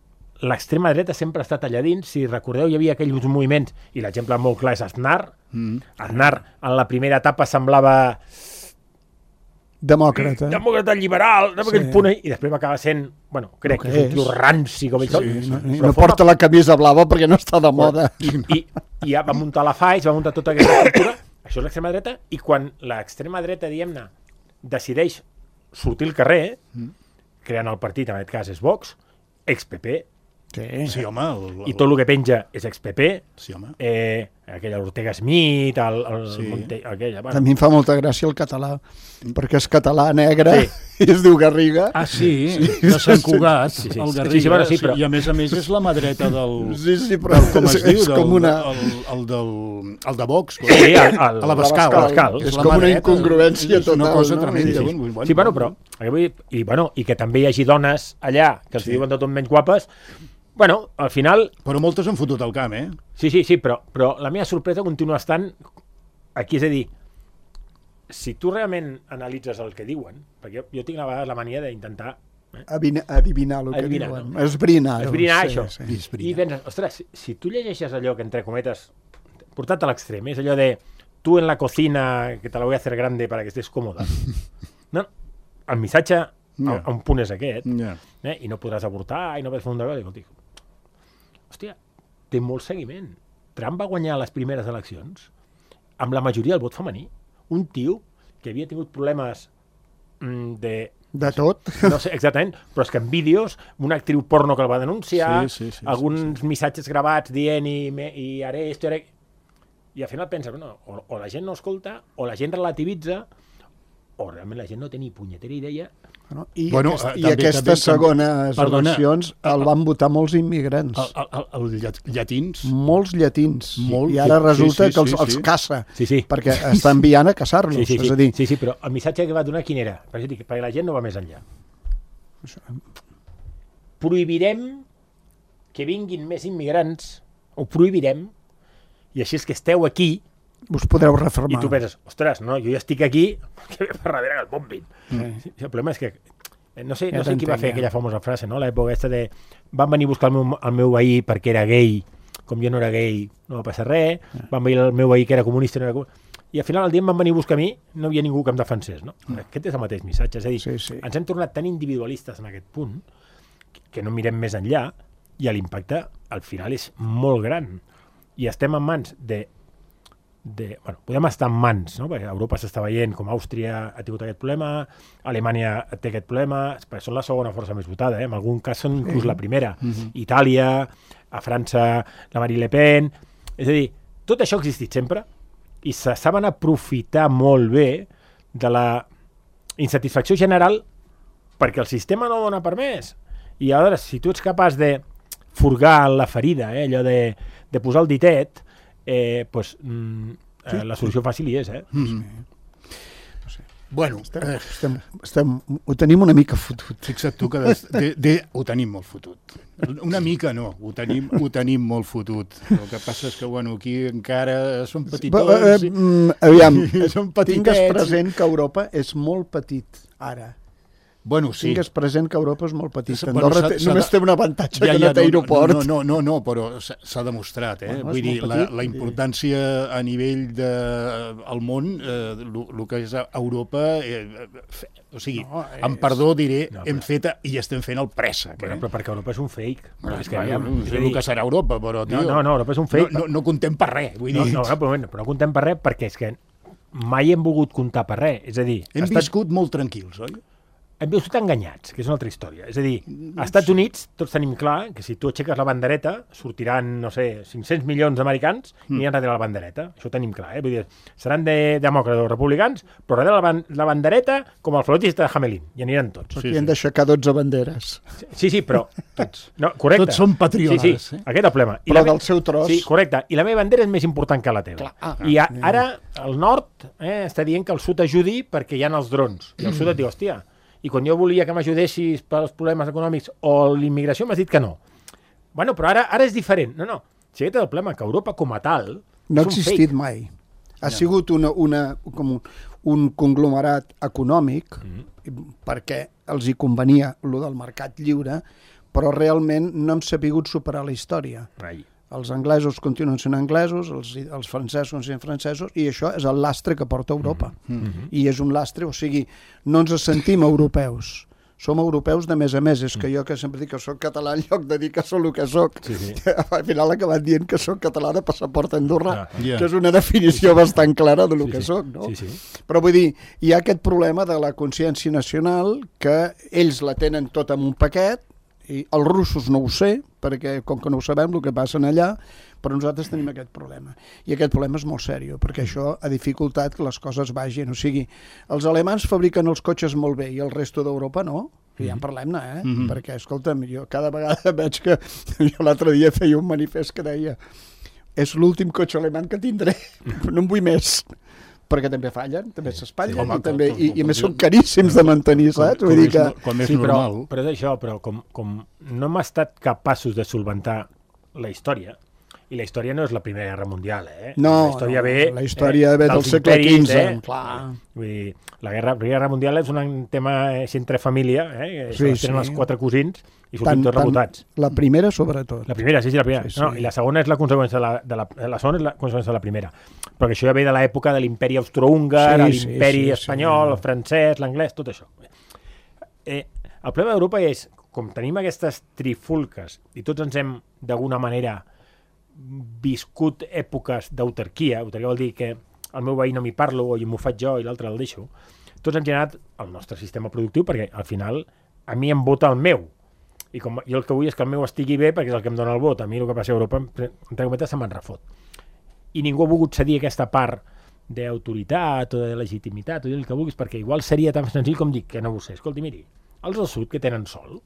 l'extrema dreta sempre ha estat allà dins. Si recordeu, hi havia aquells moviments, i l'exemple molt clar és Aznar. Mm. Aznar, en la primera etapa, semblava... demòcrata. Demòcrata liberal, sí. punt, i després va acabar sent, bueno, crec no que, que és un tio ranci com ell tot. Sí, no, no forma... porta la camisa blava perquè no està de moda. I, i, i ja va muntar la F A I, va muntar tota aquesta estructura. Això és l'extrema dreta, i quan l'extrema dreta, diguem-ne, decideix sortir al carrer, mm. creant el partit, en aquest cas és Vox, ex-P P, sí, sí, home, el, el... i tot el que penja és ex-P P, sí, home. Eh, aquella Ortega Smith, el, el sí. Monte, aquella... Bueno. A mi em fa molta gràcia el català, perquè és català negre sí. i es diu Garriga. Ah, sí, sí. de Sant Cugat, sí, sí. el Garriga. Sí, sí, bueno, sí, però... I a més a més és la mà dreta del... Sí, sí, però del, com es és, diu, és del, com una... el, el, del, el de Vox. Sí, el, el, a la Bascal. Bascal. És, és com una incongruència total. És una cosa no? tremenda. Sí, sí. Bueno, sí, bueno, però... I, bueno, I que també hi hagi dones allà que els sí. diuen de tot menys guapes. Bueno, al final... Però moltes han fotut el camp, eh? Sí, sí, sí, però, però la meva sorpresa continua estant aquí, és a dir, si tu realment analitzes el que diuen, perquè jo, jo tinc a vegades la mania d'intentar... Eh? Adivinar el que Adivinar, diuen. No? Esbrinar. Esbrinar, sí, això. Sí. Esbrinar. I penses, ostres, si, si tu llegeixes allò que, entre cometes, portat a l'extrem, és allò de tu en la cocina, que te la voy a hacer grande para que estés còmoda. No, el missatge no. a, a un punt és aquest, yeah. eh? I no podràs avortar, i no podràs fer un debat, i dic, hòstia, té molt seguiment. Trump va guanyar les primeres eleccions amb la majoria del vot femení. Un tio que havia tingut problemes mm, de... De tot. No sé exactament, però és que en vídeos, una actriu porno que el va denunciar, sí, sí, sí, alguns sí, sí. missatges gravats dient i, me, i haré esto, haré... I al final pensa, bueno, o, o la gent no escolta, o la gent relativitza, o realment la gent no té ni punyetera idea. No? I, bueno, aquest, eh, i també, aquestes també, segones perdona, eleccions el van votar molts immigrants. El, el, el, el llatins. Molts llatins. Molt, I ara resulta sí, sí, que els, sí, els sí. caça, Sí, sí. perquè està enviant a caçar-los. Sí, sí, sí, és a dir, sí, sí, però el missatge que va donar quin era? Per això dic, perquè la gent no va més enllà. Prohibirem que vinguin més immigrants, ho prohibirem, i així és que esteu aquí, us podreu reformar. i tu penses, ostres, no, jo ja estic aquí, que ve per darrere que el bombin. Sí. Sí, el problema és que, no sé, Ja no sé qui va t'entenc, fer ja. aquella famosa frase, no? L'època aquesta de van venir a buscar el meu, el meu veí perquè era gay, com jo no era gay, no va passar res, van venir el meu veí que era comunista, no era comunista, i al final el dia em van venir a buscar a mi, no hi havia ningú que em defensés, no? Aquest és el mateix missatge, és a dir, Sí, sí. ens hem tornat tan individualistes en aquest punt que no mirem més enllà i l'impacte al final és molt gran. I estem en mans de... de bueno, podem estar en mans, no? Perquè Europa s'està veient com Àustria ha tingut aquest problema, Alemanya té aquest problema, perquè són la segona força més votada, eh? En algun cas són inclús la primera. Mhm. Itàlia, a França la Marine Le Pen... És a dir, tot això ha existit sempre i se saben aprofitar molt bé de la insatisfacció general perquè el sistema no dona per més. I aleshores, si tu ets capaç de furgar la ferida, eh, allò de, de posar el ditet, eh, pues, mm, eh, la solució fàcil hi és. Eh? Mm. Bueno, Estem, eh, estem, estem, ho tenim una mica fotut. fixa't tu que de, de, de, ho tenim molt fotut. Una mica no, ho tenim, ho tenim molt fotut. El que passa és que, bueno, aquí encara són petitons. Eh, eh, aviam, són petitets. tingues present que Europa és molt petit, ara. Bueno, sí. Tingues present que Europa és molt petita. Bueno, Andorra s'ha- té, s'ha només de- té un avantatge Ja, que ja, no té aeroport. No, no, no, no, però s'ha s'ha demostrat, eh? Bueno, és Vull dir, molt la, petit, la i- importància a nivell de, al món, eh, el que és Europa, eh, fe, o sigui, No, no, amb és- perdó diré, No, no, però- hem fet i estem fent el préssec. Bueno, Eh? però perquè Europa és un fake. Bueno, és que, bueno, aviam, no és sé a el dir, que serà Europa, però, tio, no, no, no, Europa és un fake. no, no, no contem per res. Vull No, dir, no, però, bueno, però no contem per res perquè és que mai hem volgut comptar per res. És a dir, hem estat, viscut molt tranquils, oi? hem viscut enganyats, que és una altra història. És a dir, als Estats Units tots tenim clar que si tu aixeques la bandereta sortiran, no sé, cinc-cents milions d'americans i aniran darrere la bandereta. Això ho tenim clar, eh? Vull dir, seran de demòcrates o republicans, però darrere la, ban la bandereta com el flautista de Hamelin, i aniran tots. Aquí Sí, hem sí. d'aixecar dotze banderes. Sí, sí, però... Tots. No, correcte. Tots són patriotes, Sí, sí, eh? aquest és el problema. I Però la me- del seu tros. Sí, correcte. I la meva bandera és més important que la teva. Clar, ah, I a, ara el nord eh, està dient que el sud ajudi perquè hi ha els drons. I el sud et diu, hòstia, i quan jo volia que m'ajudessis pels problemes econòmics o l'immigració m'has dit que no. Bueno, però ara ara és diferent. No, no. Si aquest és el problema, que Europa com a tal No ha és un existit fake. mai. Ha sigut una, una, com un, un conglomerat econòmic Mm. perquè els hi convenia lo del mercat lliure, però realment no hem sapigut superar la història. Ai. Els anglesos continuen sent anglesos, els, els francesos continuen sent francesos, i això és el lastre que porta Europa. Mm-hmm. I és un lastre, o sigui, no ens sentim europeus. Som europeus de més a més. És que jo que sempre dic que soc català en lloc de dir que sóc el que soc. Sí, sí. Al final he acabat dient que sóc català de passaport andorrà, Ah, ja. que és una definició bastant clara de lo Sí, que sí. soc, no? Sí, sí. Però vull dir, hi ha aquest problema de la consciència nacional que ells la tenen tot en un paquet, i els russos no ho sé, perquè com que no ho sabem el que passa allà, però nosaltres tenim aquest problema. I aquest problema és molt seriós, perquè això ha dificultat que les coses vagin. O sigui, els alemans fabriquen els cotxes molt bé i el resto d'Europa no. I ja en parlem-ne, eh? Mhm. Perquè, escolta'm, jo cada vegada veig que... Jo l'altre dia feia un manifest que deia és l'últim cotxe alemany que tindré, no en vull més. Perquè també fallen, també s'espatllen, Home, i, també, com- i, com- i a més com- són caríssims de mantenir, saps? Com Vull dir és que... no- com és Sí, però, normal. però és això, però com, com no hem estat capaços de solventar la història, i la història no és la Primera Guerra Mundial, eh? No, la història no, ve, la història ve del dels segle imperis, quinze, eh? clar. Vull dir, la, guerra, la Primera Guerra Mundial és un tema eh, entre família, eh? Sí, Sí, tenen sí. els quatre cosins i sortim tots rebotats. La primera, sobretot. La primera, sí, sí, la primera. Sí, sí. No, i la segona és la conseqüència de la, de la, la segona és la conseqüència de la primera. Però que això ja ve de l'època de l'imperi austrohúngar, Sí, sí, l'imperi sí, espanyol, sí. el francès, l'anglès, tot això. Eh, el problema d'Europa és, com tenim aquestes trifulques i tots ens hem, d'alguna manera, viscut èpoques d'autarquia, autarquia vol dir que el meu veí no m'hi parlo o m'ho faig jo i l'altre el deixo, tots hem generat el nostre sistema productiu perquè al final a mi em vota el meu i com jo el que vull és que el meu estigui bé perquè és el que em dona el vot. A mi el que passa a Europa entre cometes se me'n refot i ningú ha volgut cedir aquesta part d'autoritat o de legitimitat, o dir el que vulguis, perquè igual seria tan senzill com dir que no ho sé. Escolti, miri, els del sud que tenen sol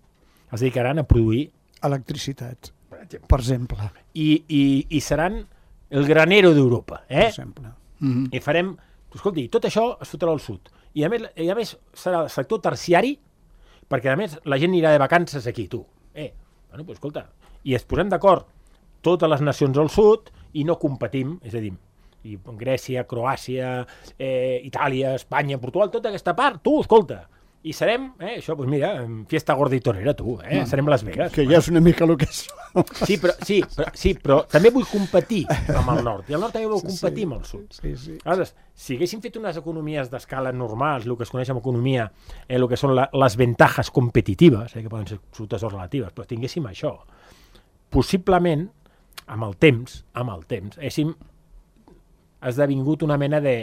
es dedicaran a produir electricitat, per exemple, per exemple. I, i, i seran el granero d'Europa, eh? Per exemple. Mm-hmm. I farem, escolti, tot això es fotrà al sud. I a més, i a més serà el sector terciari, perquè a més la gent anirà de vacances aquí, tu. Eh, bueno, doncs escolta, i es posem d'acord totes les nacions al sud i no competim, és a dir, i Grècia, Croàcia, eh, Itàlia, Espanya, Portugal, tota aquesta part, tu, escolta, i serem, eh, això, doncs mira, fiesta gorda i tonera, tu, eh, no, serem Las Vegas. Que ja és una mica el que és. Sí, però, sí, però, sí, però també vull competir amb el nord, i el nord també vol competir sí, amb el sud. Sí, sí. Aleshores, si haguéssim fet unes economies d'escala normals, el que es coneix com economia, eh, el que són la, les ventajas competitives, eh, que poden ser absolutes o relatives, però tinguéssim això, possiblement, amb el temps, amb el temps, haguéssim esdevingut una mena de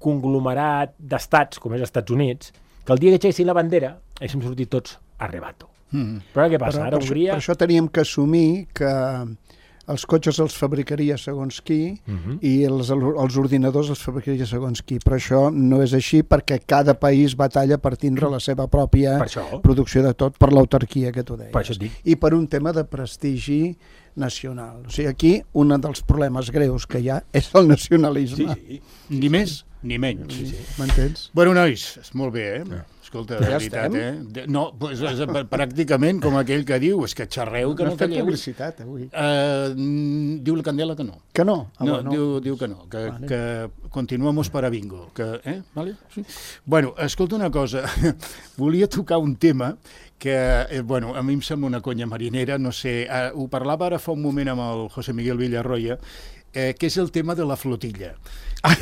conglomerat d'estats, com és els Estats Units, que el dia que aixequessin la bandera haguéssim sortit tots a rebato. Mm. Però què passa? Però, Ara per Hongria... Això, per això teníem que assumir que els cotxes els fabricaria segons qui uh-huh. i els, els ordinadors els fabricaria segons qui. Però això no és així perquè cada país batalla per tindre la seva pròpia per producció de tot, per l'autarquia que tu deies. Per això dic. I per un tema de prestigi nacional. O sigui, aquí un dels problemes greus que hi ha és el nacionalisme. Sí, sí. Ni més ni menys. Sí, sí. M'entens? Bueno, nois, molt bé, eh? Ja. Escolta, de ja veritat, estem? eh? De, no, pues, és, pràcticament com aquell que diu, és que xerreu que no, no calleu. No publicitat, avui. Uh, diu la Candela que no. Que no? Ah, no, bueno. diu, diu que no, que, vale. que continuamos para bingo. Que, eh? Vale? Sí. Bueno, escolta una cosa, volia tocar un tema que, eh, bueno, a mi em sembla una conya marinera, no sé, eh, ho parlava ara fa un moment amb el José Miguel Villarroya, eh, que és el tema de la flotilla. Ah.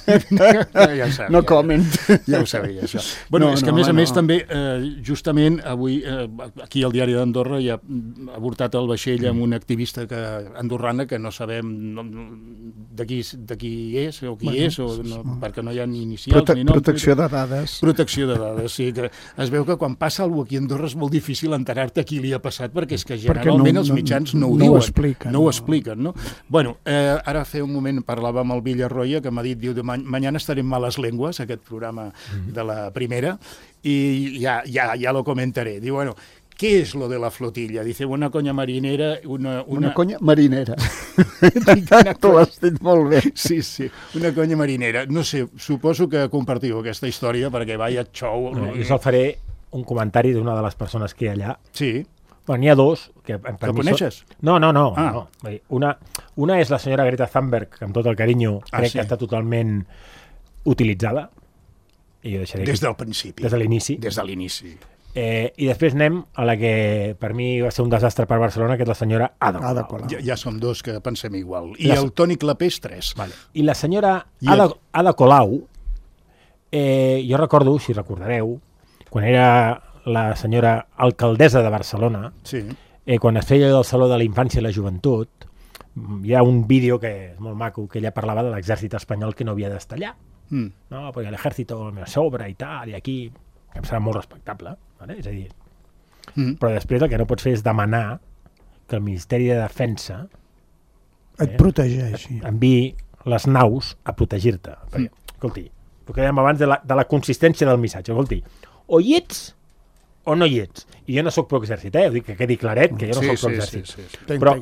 ja sabia, no comment. Ja ho sabia, això. Bueno, no, és que no, a més a no. més també, eh, justament avui, eh, aquí al Diari d'Andorra ja ha avortat el vaixell amb una activista que, andorrana que no sabem no, de, qui, de qui és o qui bueno, és, o no, perquè no hi ha ni inicials Prote ni nom. Protecció de dades. Protecció de dades, sí. Que es veu que quan passa alguna cosa aquí a Andorra és molt difícil enterar-te qui li ha passat, perquè és que generalment no, els mitjans no ho no diuen. Ho expliquen, no, no ho expliquen, no? Bueno, eh, ara fa un moment parlava amb el Villarroya, que m'ha dit, diu, mañana estaré en malas lenguas, aquest programa mm-hmm. de la primera, i ja, ja, ja lo comentaré. Diu, bueno, ¿qué es lo de la flotilla? Dice, una conya marinera... Una, una... una conya marinera. Tu has dit molt bé. Sí, sí, una conya marinera. No sé, suposo que compartiu aquesta història, perquè vaya show... No, jo sol faré un comentari d'una de les persones que hi ha allà. Sí. Bueno, n'hi ha dos. Que, per que coneixes? No, no, no. Ah. no. Una, una és la senyora Greta Thunberg, que amb tot el carinyo ah, crec sí. que està totalment utilitzada. I jo deixaré des del principi. Des de l'inici. Des de l'inici. Eh, I després anem a la que per mi va ser un desastre per Barcelona, que és la senyora Ada, Ada Colau. Ja, ja som dos que pensem igual. I la... el Toni Clapés, tres. Vale. I la senyora Ada, el... Ada Colau, eh, jo recordo, si recordareu, quan era la senyora alcaldessa de Barcelona, sí. eh, quan es feia el Saló de la Infància i la Joventut, hi ha un vídeo que és molt maco, que ella parlava de l'exèrcit espanyol que no havia d'estar allà. Mm. No, perquè l'exèrcit me sobra i tal, i aquí, que em serà molt respectable, vale? És a dir, mm. però després el que no pots fer és demanar que el Ministeri de Defensa et eh, protegeixi. Enviï les naus a protegir-te. Perquè, mm. escolti, el que dèiem abans de la, de la consistència del missatge, escolti, o hi ets o no hi ets. I jo no sóc pro-exèrcit, eh? Ho dic que quedi claret, que jo no sí, soc pro-exèrcit. Sí, sí, sí, sí. Però,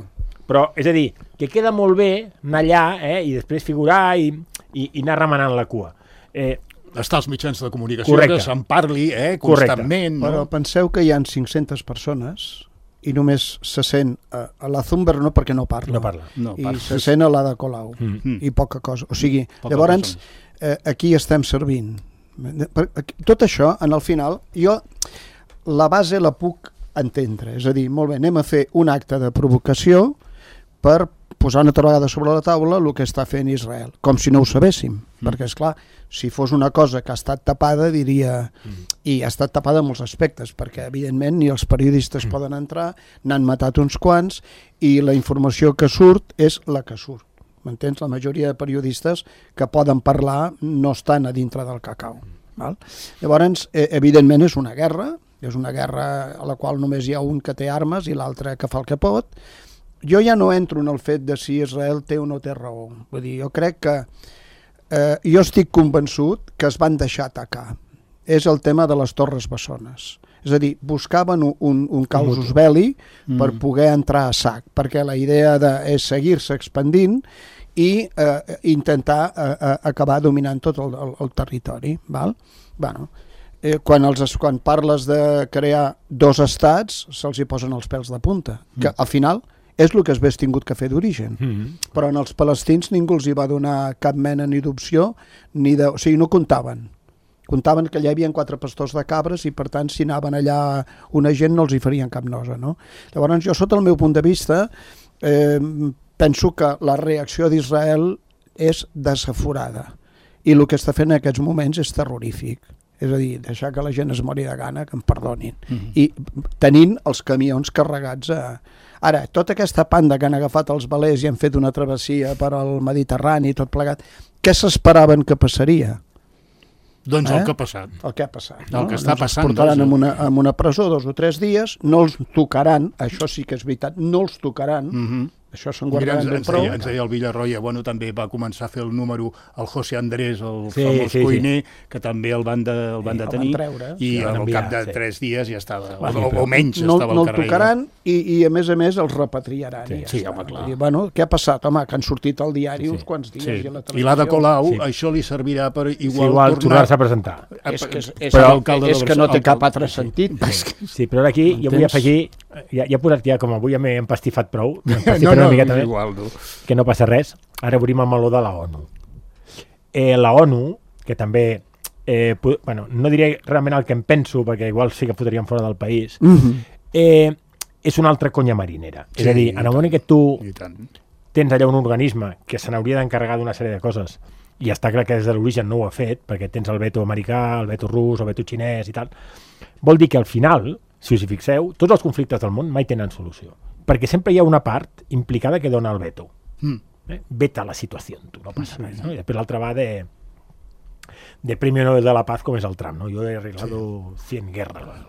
però, és a dir, que queda molt bé anar allà eh, i després figurar i, i, i anar remenant la cua. Eh, Està als mitjans de comunicació, correcte. Que se'n parli eh, constantment. No? Però penseu que hi ha cinc-centes persones i només se sent a, a la Thunberg no perquè no parla, no parla. No, i parla. se sent a l'Ada Colau mm. i poca cosa. O sigui, poca llavors eh, aquí estem servint. Tot això, en el final, jo la base la puc entendre, és a dir, molt bé, anem a fer un acte de provocació per posar una altra vegada sobre la taula el que està fent Israel, com si no ho sabéssim, mm. perquè, esclar, si fos una cosa que ha estat tapada, diria, mm. i ha estat tapada en molts aspectes, perquè, evidentment, ni els periodistes mm. poden entrar, n'han matat uns quants, i la informació que surt és la que surt. M'entens? La majoria de periodistes que poden parlar no estan a dintre del cacau. Val? Llavors, eh, evidentment, és una guerra, és una guerra a la qual només hi ha un que té armes i l'altre que fa el que pot, jo ja no entro en el fet de si Israel té o no té raó. Vull dir, jo crec que eh, jo estic convençut que es van deixar atacar. És el tema de les Torres Bessones. És a dir, buscaven un, un, un causus belli per mm. poder entrar a sac, perquè la idea de, és seguir-se expandint i eh, intentar eh, acabar dominant tot el, el, el territori. Val? Bueno, eh, quan, els, quan parles de crear dos estats, se'ls hi posen els pèls de punta, mm. que al final és el que es hagués tingut que fer d'origen. Mm. Però en els palestins ningú els hi va donar cap mena ni d'opció, ni de... o sigui, no comptaven. Comptaven que allà hi havia quatre pastors de cabres i per tant si anaven allà una gent no els hi farien cap nosa, no? Llavors jo sota el meu punt de vista eh, penso que la reacció d'Israel és desaforada i el que està fent en aquests moments és terrorífic, és a dir, deixar que la gent es mori de gana, que em perdonin, mm-hmm. i tenint els camions carregats a... Ara, tota aquesta panda que han agafat els velers i han fet una travessia per al Mediterrani i tot plegat, què s'esperaven que passaria? Doncs eh? el que ha passat. El que ha passat. No? El que està doncs passant. Els portaran doncs... en, una, en una presó dos o tres dies, no els tocaran, això sí que és veritat, no els tocaran, mm-hmm. això se'n guardaran ben prou. Ens deia el Villarroya, bueno, també va començar a fer el número el José Andrés, el sí, famós sí, cuiner, sí. que també el van, de, el van sí, detenir, el van treure, i sí, al enviar, cap de sí. tres dies ja estava, bueno, o, o menys no, estava no al carrer. No el tocaran i, i a més a més els repatriaran. Sí, i ja sí, està. home, clar. Dir, bueno, què ha passat? Home, que han sortit al diari sí, sí. uns quants dies sí. i a la televisió. I l'Ada Colau, sí. això li servirà per igual, sí, igual tornar... tornar-se a presentar. És que, és, és, però, és que no té cap altre sentit. Sí, sí, però ara aquí jo vull afegir, ja, ja he posat ja, com avui ja m'he empastifat prou, empastifat no, no, una miqueta més, igual, no. que no passa res. Ara obrim el meló de la ONU. Eh, la ONU, que també, eh, bueno, no diré realment el que em penso, perquè igual sí que fotríem fora del país, mm-hmm. eh, és una altra conya marinera. Sí, és a dir, en el moment que tu tens allà un organisme que se n'hauria d'encarregar d'una sèrie de coses, i està clar que des de l'origen no ho ha fet, perquè tens el veto americà, el veto rus, el veto xinès i tal, vol dir que al final, si us hi fixeu, tots els conflictes del món mai tenen solució, perquè sempre hi ha una part implicada que dona el veto. Mm. Eh? Veta la situació, tu, no passa res. No? I després l'altre va de de Premio Nobel de la Paz, com és el Trump, no? Jo he arreglado sí. cien guerras.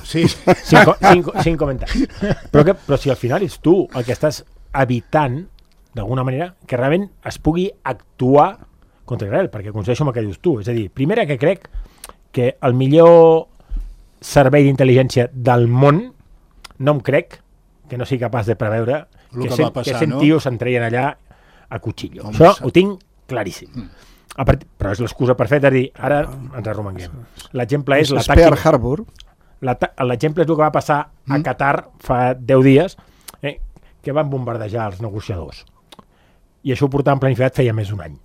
Sí. Sin, sin, sin comentaris. Però, que, però si al final és tu el que estàs evitant, d'alguna manera, que realment es pugui actuar contra Israel, perquè coincideixo amb el que dius tu. És a dir, primera que crec que el millor servei d'intel·ligència del món no em crec que no sigui capaç de preveure que, que, cent, passar, que cent no? tios s'entreien allà a cuchillo. Home, això ho tinc claríssim. Mm. A part, però és l'excusa perfecta de dir, ara ens arromanguem. L'exemple és l'atac... Pearl Harbor. L'exemple és el que va passar a Qatar fa deu dies, eh, que van bombardejar els negociadors. I això ho portaven planificat feia més d'un any.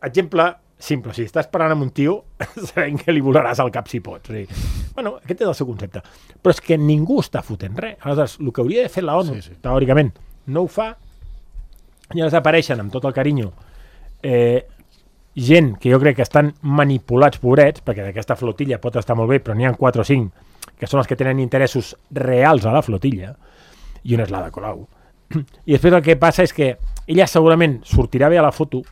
Exemple simple, si estàs parlant amb un tio, sabent que li volaràs al cap si pots. O sigui, bueno, aquest és el seu concepte. Però és que ningú està fotent res. Aleshores, el que hauria de fer la ONU, sí, sí. teòricament, no ho fa, i llavors apareixen amb tot el carinyo eh, gent que jo crec que estan manipulats, pobrets, perquè d'aquesta flotilla pot estar molt bé, però n'hi ha quatre o cinc que són els que tenen interessos reals a la flotilla, i una és l'Ada Colau. I després el que passa és que ella segurament sortirà bé a la foto,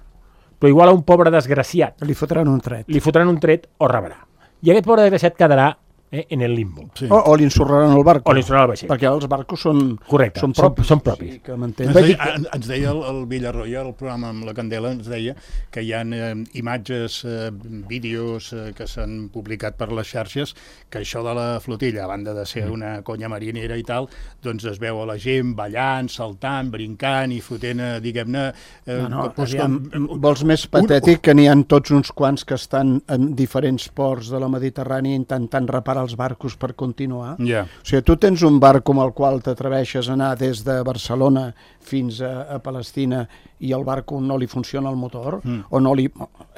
però igual a un pobre desgraciat li fotran un tret. Li fotran un tret o rebrà. I aquest pobre desgraciat quedarà eh, en el limbo. Sí. O, o li ensorraran el barco. O li ensorraran el vaixell. Perquè els barcos són, Correcte, són propis. Són, són propis. Sí, que ens, deia, ens deia el, el Villarroya, el programa amb la Candela, ens deia que hi ha eh, imatges, eh, vídeos eh, que s'han publicat per les xarxes, que això de la flotilla, a banda de ser una conya marinera i tal, doncs es veu a la gent ballant, saltant, brincant i fotent, eh, diguem-ne... Eh, no, no, doncs, aviam, com, vols més patètic un... que n'hi ha tots uns quants que estan en diferents ports de la Mediterrània intentant reparar els barcos per continuar. Yeah. O sigui, tu tens un barc com el qual t'atreveixes a anar des de Barcelona fins a, a Palestina i el barco no li funciona el motor, mm. o no li...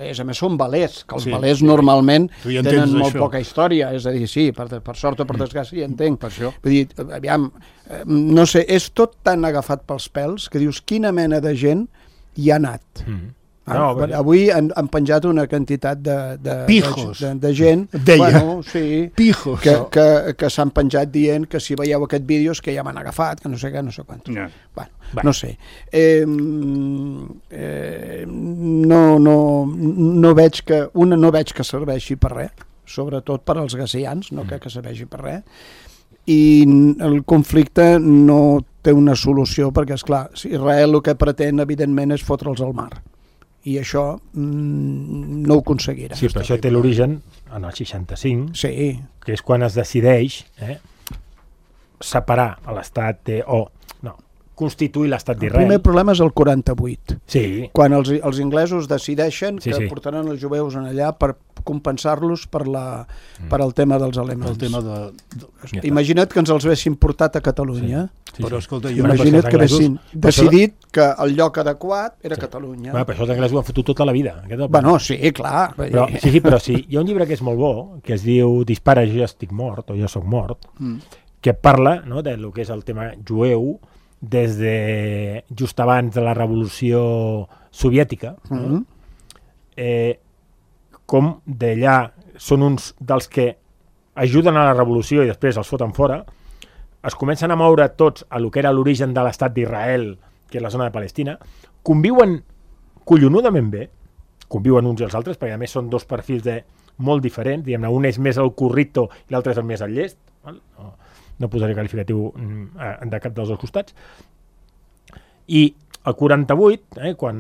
És, a més, són velers, que els sí, velers sí. normalment ja tenen molt això. poca història, és a dir, sí, per, per sort o per desgràcia, ja entenc. Per això. Vull dir, aviam, no sé, és tot tan agafat pels pèls que dius, quina mena de gent hi ha anat? Mm. No, ah, avui han, han penjat una quantitat de, de, Pijos. de, de, de gent Deia. Bueno, sí, Pijos. que, que, que s'han penjat dient que si veieu aquest vídeo és que ja m'han agafat, que no sé què, no sé quant. Yeah. Bueno, bueno, no sé. Eh, eh, no, no, no veig que una no veig que serveixi per res, sobretot per als gazians, no crec que serveixi per res, i el conflicte no té una solució, perquè, esclar, si Israel el que pretén, evidentment, és fotre'ls al mar. I això mm, no ho aconseguirà. Sí, però això té l'origen en el seixanta-cinc, sí. que és quan es decideix eh, separar l'estat de... o no, constituir l'estat d'Israel. El primer problema és el quaranta-vuit, sí. quan els, els inglesos decideixen Sí, que sí. portaran els jueus en allà per compensar-los per, la, per al tema dels alemans. El tema de... de... Ja està. Imagina't que ens els haguessin portat a Catalunya. Sí, Però, sí. escolta, jo... Bueno, Imagina't però que els haguessin anglesos- decidit que el lloc adequat era Sí. Catalunya. Bueno, però això els anglesos ho han fotut tota la vida. Aquest és el Bueno, sí, clar. Però, sí, sí, però sí, hi ha un llibre que és molt bo, que es diu Dispara, jo ja estic mort, o jo sóc mort, Mm. que parla no, de lo que és el tema jueu des de just abans de la revolució soviètica, no? Mhm. eh, com d'allà són uns dels que ajuden a la revolució i després els foten fora, es comencen a moure tots a lo que era l'origen de l'estat d'Israel, que és la zona de Palestina, conviuen collonudament bé, conviuen uns i els altres, perquè a més són dos perfils de molt diferents, diguem-ne, un és més el currito i l'altre és el més el llest, val? No, no posaré qualificatiu mm, de cap dels dos costats. I el quaranta-vuit, eh, quan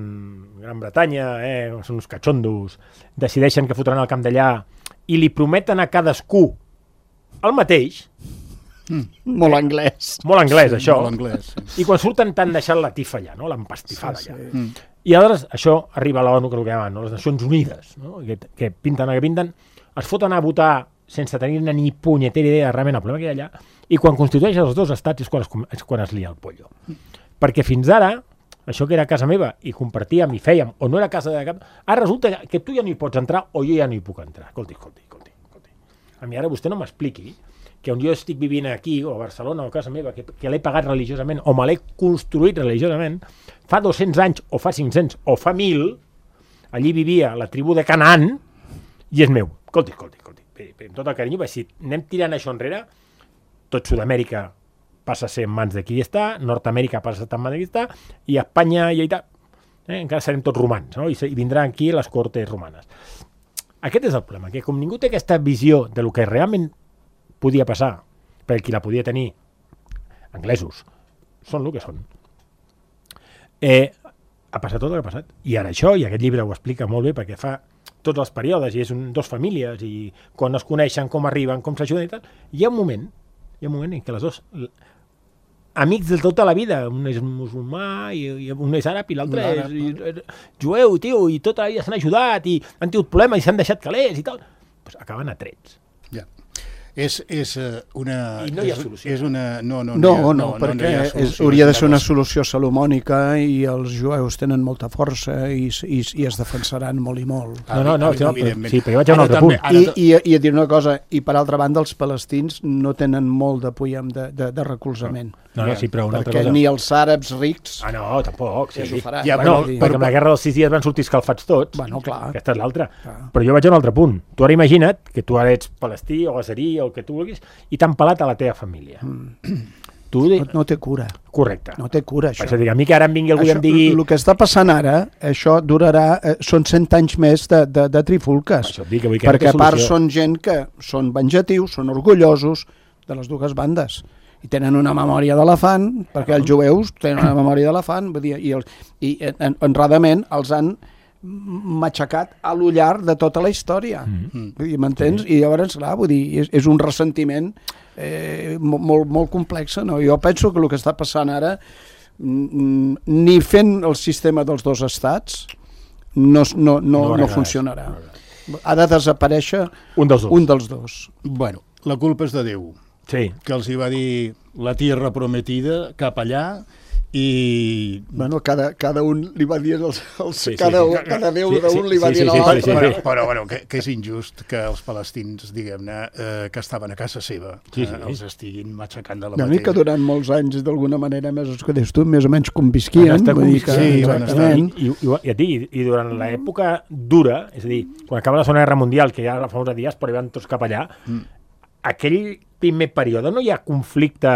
Gran Bretanya, eh, són uns catxondos, decideixen que fotran el camp d'allà i li prometen a cadascú el mateix, Molt anglès. molt anglès, Sí, això, molt anglès, sí. i quan surten t'han deixat la tifa allà, no? L'empastifada Sí, allà. sí. Mm. I aleshores això arriba a l'ONU, que és el que llamen, no? Les Nacions Unides, no? que, que pinten el que pinten, es foten a votar sense tenir-ne ni punyetera idea realment el problema que hi ha allà, i quan constitueixen els dos estats és quan es, és quan es lia el pollo. Perquè fins ara, això que era casa meva i compartíem i fèiem, o no era casa de cap, ara resulta que tu ja no hi pots entrar o jo ja no hi puc entrar. Escolti, escolti, escolti. escolti. A mi ara vostè no m'expliqui que on jo estic vivint aquí, o a Barcelona, o a casa meva, que, que l'he pagat religiosament, o me l'he construït religiosament, fa dos-cents anys, o fa cinc-cents, o fa mil, allí vivia la tribu de Canaan, i és meu. Escolti, escolti, escolti. Bé, bé, amb tot el carinyo, si anem tirant això enrere, tot Sud-amèrica passa a ser en mans de qui està, Nord-amèrica passa a estar en mans de qui està, i Espanya i Itàlia, eh, encara serem tots romans, no? I, se, i vindran aquí les cortes romanes. Aquest és el problema, que com ningú té aquesta visió de lo que realment podia passar, per qui la podia tenir, anglesos, són el que són. Eh, ha passat tot el que ha passat. I ara això, i aquest llibre ho explica molt bé, perquè fa tots els períodes, i és un, dos famílies, i quan es coneixen, com arriben, com s'ajuden i tal, hi ha un moment, hi ha un moment en què les dos amics de tota la vida, un és musulmà i, i un és àrab i l'altre és, és jueu, tio, i tota la vida s'han ajudat i han tingut problemes i s'han deixat calés i tal, pues acaben a trets. Ja. És, és uh, una... I no hi ha és, solució. És una... No, no, No, no, no, no, perquè no hi ha és, solució, hauria de és ser una cosa. solució salomònica i els jueus tenen molta força i, i, i es defensaran molt i molt. No, no, no, no, Evidentment. sí, però jo vaig a un Ara altre també- punt. ara I, ta- i, I a dir una cosa, i per altra banda els palestins no tenen molt de punyam de, de, de recolzament, No, no, sí, però una altra perquè cosa... ni els àrabs rics Ah, no, tampoc. Sí. ja s'ho faran. Ja, Bueno, però- perquè amb la guerra dels sis dies van sortir escalfats tots. Bueno, clar. Aquesta és l'altra. Clar. Però jo vaig a un altre punt. Tu ara imagina't que tu ara ets palestí o gazerí o el que tu vulguis i t'han pelat a la teva família. Mm. Tu, No, no té cura, correcte. no té cura Per això. això dic, a mi que ara em vingui algú i em digui... El que està passant ara, això durarà, eh, són cent anys més de, de, de trifulques, Això et dic, que vull que perquè no té a part solució. són gent que són venjatius, són orgullosos de les dues bandes i tenen una memòria d'elefant, perquè els jueus tenen una memòria d'elefant, vull dir, i, els, i en, honradament els han matxacat a l'ullar de tota la història. Mm. Vull dir, m'entens? I llavors, clar, vull dir, és, és un ressentiment eh, mo- molt, molt complex, no? Jo penso que el que està passant ara, mm, ni fent el sistema dels dos estats, no, no, no, No no, agrada, funcionarà. no Ha de desaparèixer Un dels dos. un dels dos. Bueno, la culpa és de Déu, Sí. que els hi va dir la tierra prometida cap allà i... Bueno, cada, cada un li va dir els, els, Sí, sí, cada, sí. cada déu Sí, d'un sí, li va sí, dir sí, a sí, l'altre. sí, sí. Però, però bueno, que, que és injust que els palestins, diguem-ne, eh, que estaven a casa seva, Sí, sí. eh, els estiguin matxacant de la Una mica mateixa. durant molts anys, d'alguna manera, més, que dius tu, més o menys convisquien. Van estar Vull dir que, convisquint, sí, van estar- exactament. I, i, i, i, i, i durant l'època dura, és a dir, quan acaba la Segona Guerra Mundial, que hi ha la famosa diàspora i van tots cap allà, mm. aquell primer període no hi ha conflicte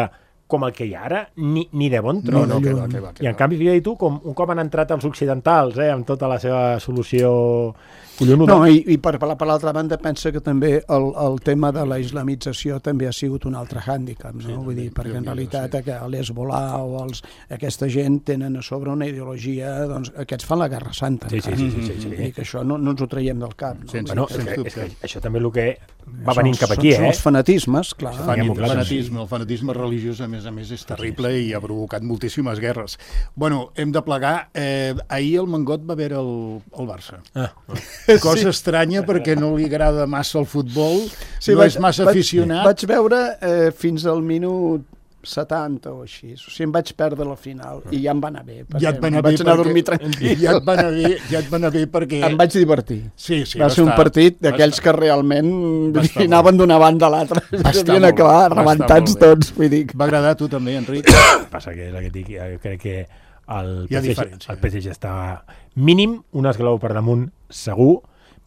com el que hi ha ara, ni, ni de bon tros. No, no, que va, que va, que I en va. canvi, fíjate tu, com un cop han entrat els occidentals, eh, amb tota la seva solució collonuda. No, i, i per, per l'altra banda pensa que també el, el tema de la islamització també ha sigut un altre hàndicap, no? Sí, vull dir, perquè en realitat sí. l'Hezbollah o els, aquesta gent tenen a sobre una ideologia, doncs aquests fan la Guerra Santa. Sí, sí, sí, sí, sí, sí. I que això no, no ens ho traiem del cap. No? Sense, bueno, sense és, dubte. és que això també és el que va venint cap aquí, són, eh? Són els fanatismes, clar. Fan, el, fanatisme, el fanatisme religiós, a més a més, és terrible i ha provocat moltíssimes guerres. Bueno, hem de plegar. Eh, ahir el Mangot va veure el, el Barça. Ah. Cosa sí. estranya, perquè no li agrada massa el futbol, sí, no vaig, és massa vaig, aficionat. Vaig veure eh, fins al minut setanta o així, o sigui, em vaig perdre la final i ja em va anar bé, ja et va anar vaig bé anar perquè, a dormir tranquil. Ja et va anar bé, ja et va anar bé perquè... Em vaig divertir. Sí, sí, va, va ser estar, un partit d'aquells que realment anaven d'una banda a l'altra, havien acabar rebentats tots. Vull dir. Va agradar a tu també, Enric? Passa que és el que dic, jo crec que el P S G, el P S G estava mínim un esglaó per damunt segur,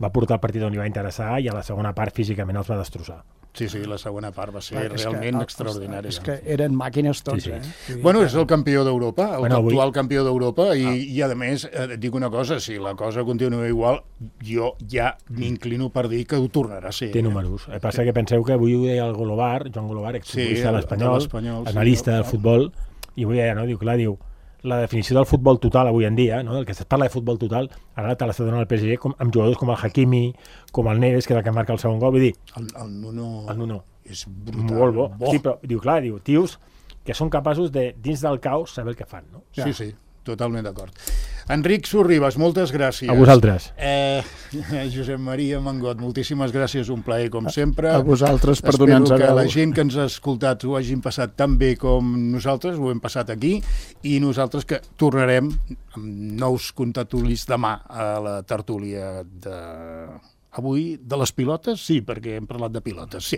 va portar el partit on li va interessar i a la segona part físicament els va destrossar. Sí, sí, la segona part va ser Clar, realment que, extraordinària. És que eren màquines tots, sí, sí. eh? Sí, bueno, és el campió d'Europa, el bueno, actual avui... campió d'Europa, i, ah. i a més, et dic una cosa, si la cosa continua igual, jo ja m'inclino per dir que ho tornarà a ser. Té números. El que passa que penseu que avui ho deia el Golobar, Joan Golobar, exfutbolista sí, de l'Espanyol, analista sí, del futbol, i avui deia, no? Diu, clar, diu, la definició del futbol total avui en dia, no? El que es parla de futbol total, ara te l'està donant el P S G com, amb jugadors com el Hakimi, com el Neves, que és el que marca el segon gol, vull dir... El, el Nuno... El Nuno. És brutal. Molt bo. bo. Sí, però, diu, clar, diu, tios que són capaços de, dins del caos, saber el que fan, no? Sí, ja. sí, totalment d'acord. Enric Sorribas, moltes gràcies. A vosaltres. Eh, Josep Maria Mangot, moltíssimes gràcies, un plaer com sempre. A vosaltres per donar-nos Espero que la gent que ens ha escoltat ho hagin passat tan bé com nosaltres, ho hem passat aquí, i nosaltres que tornarem amb nous contatulis demà a la tertúlia de... Avui de les pilotes? Sí, perquè hem parlat de pilotes, sí.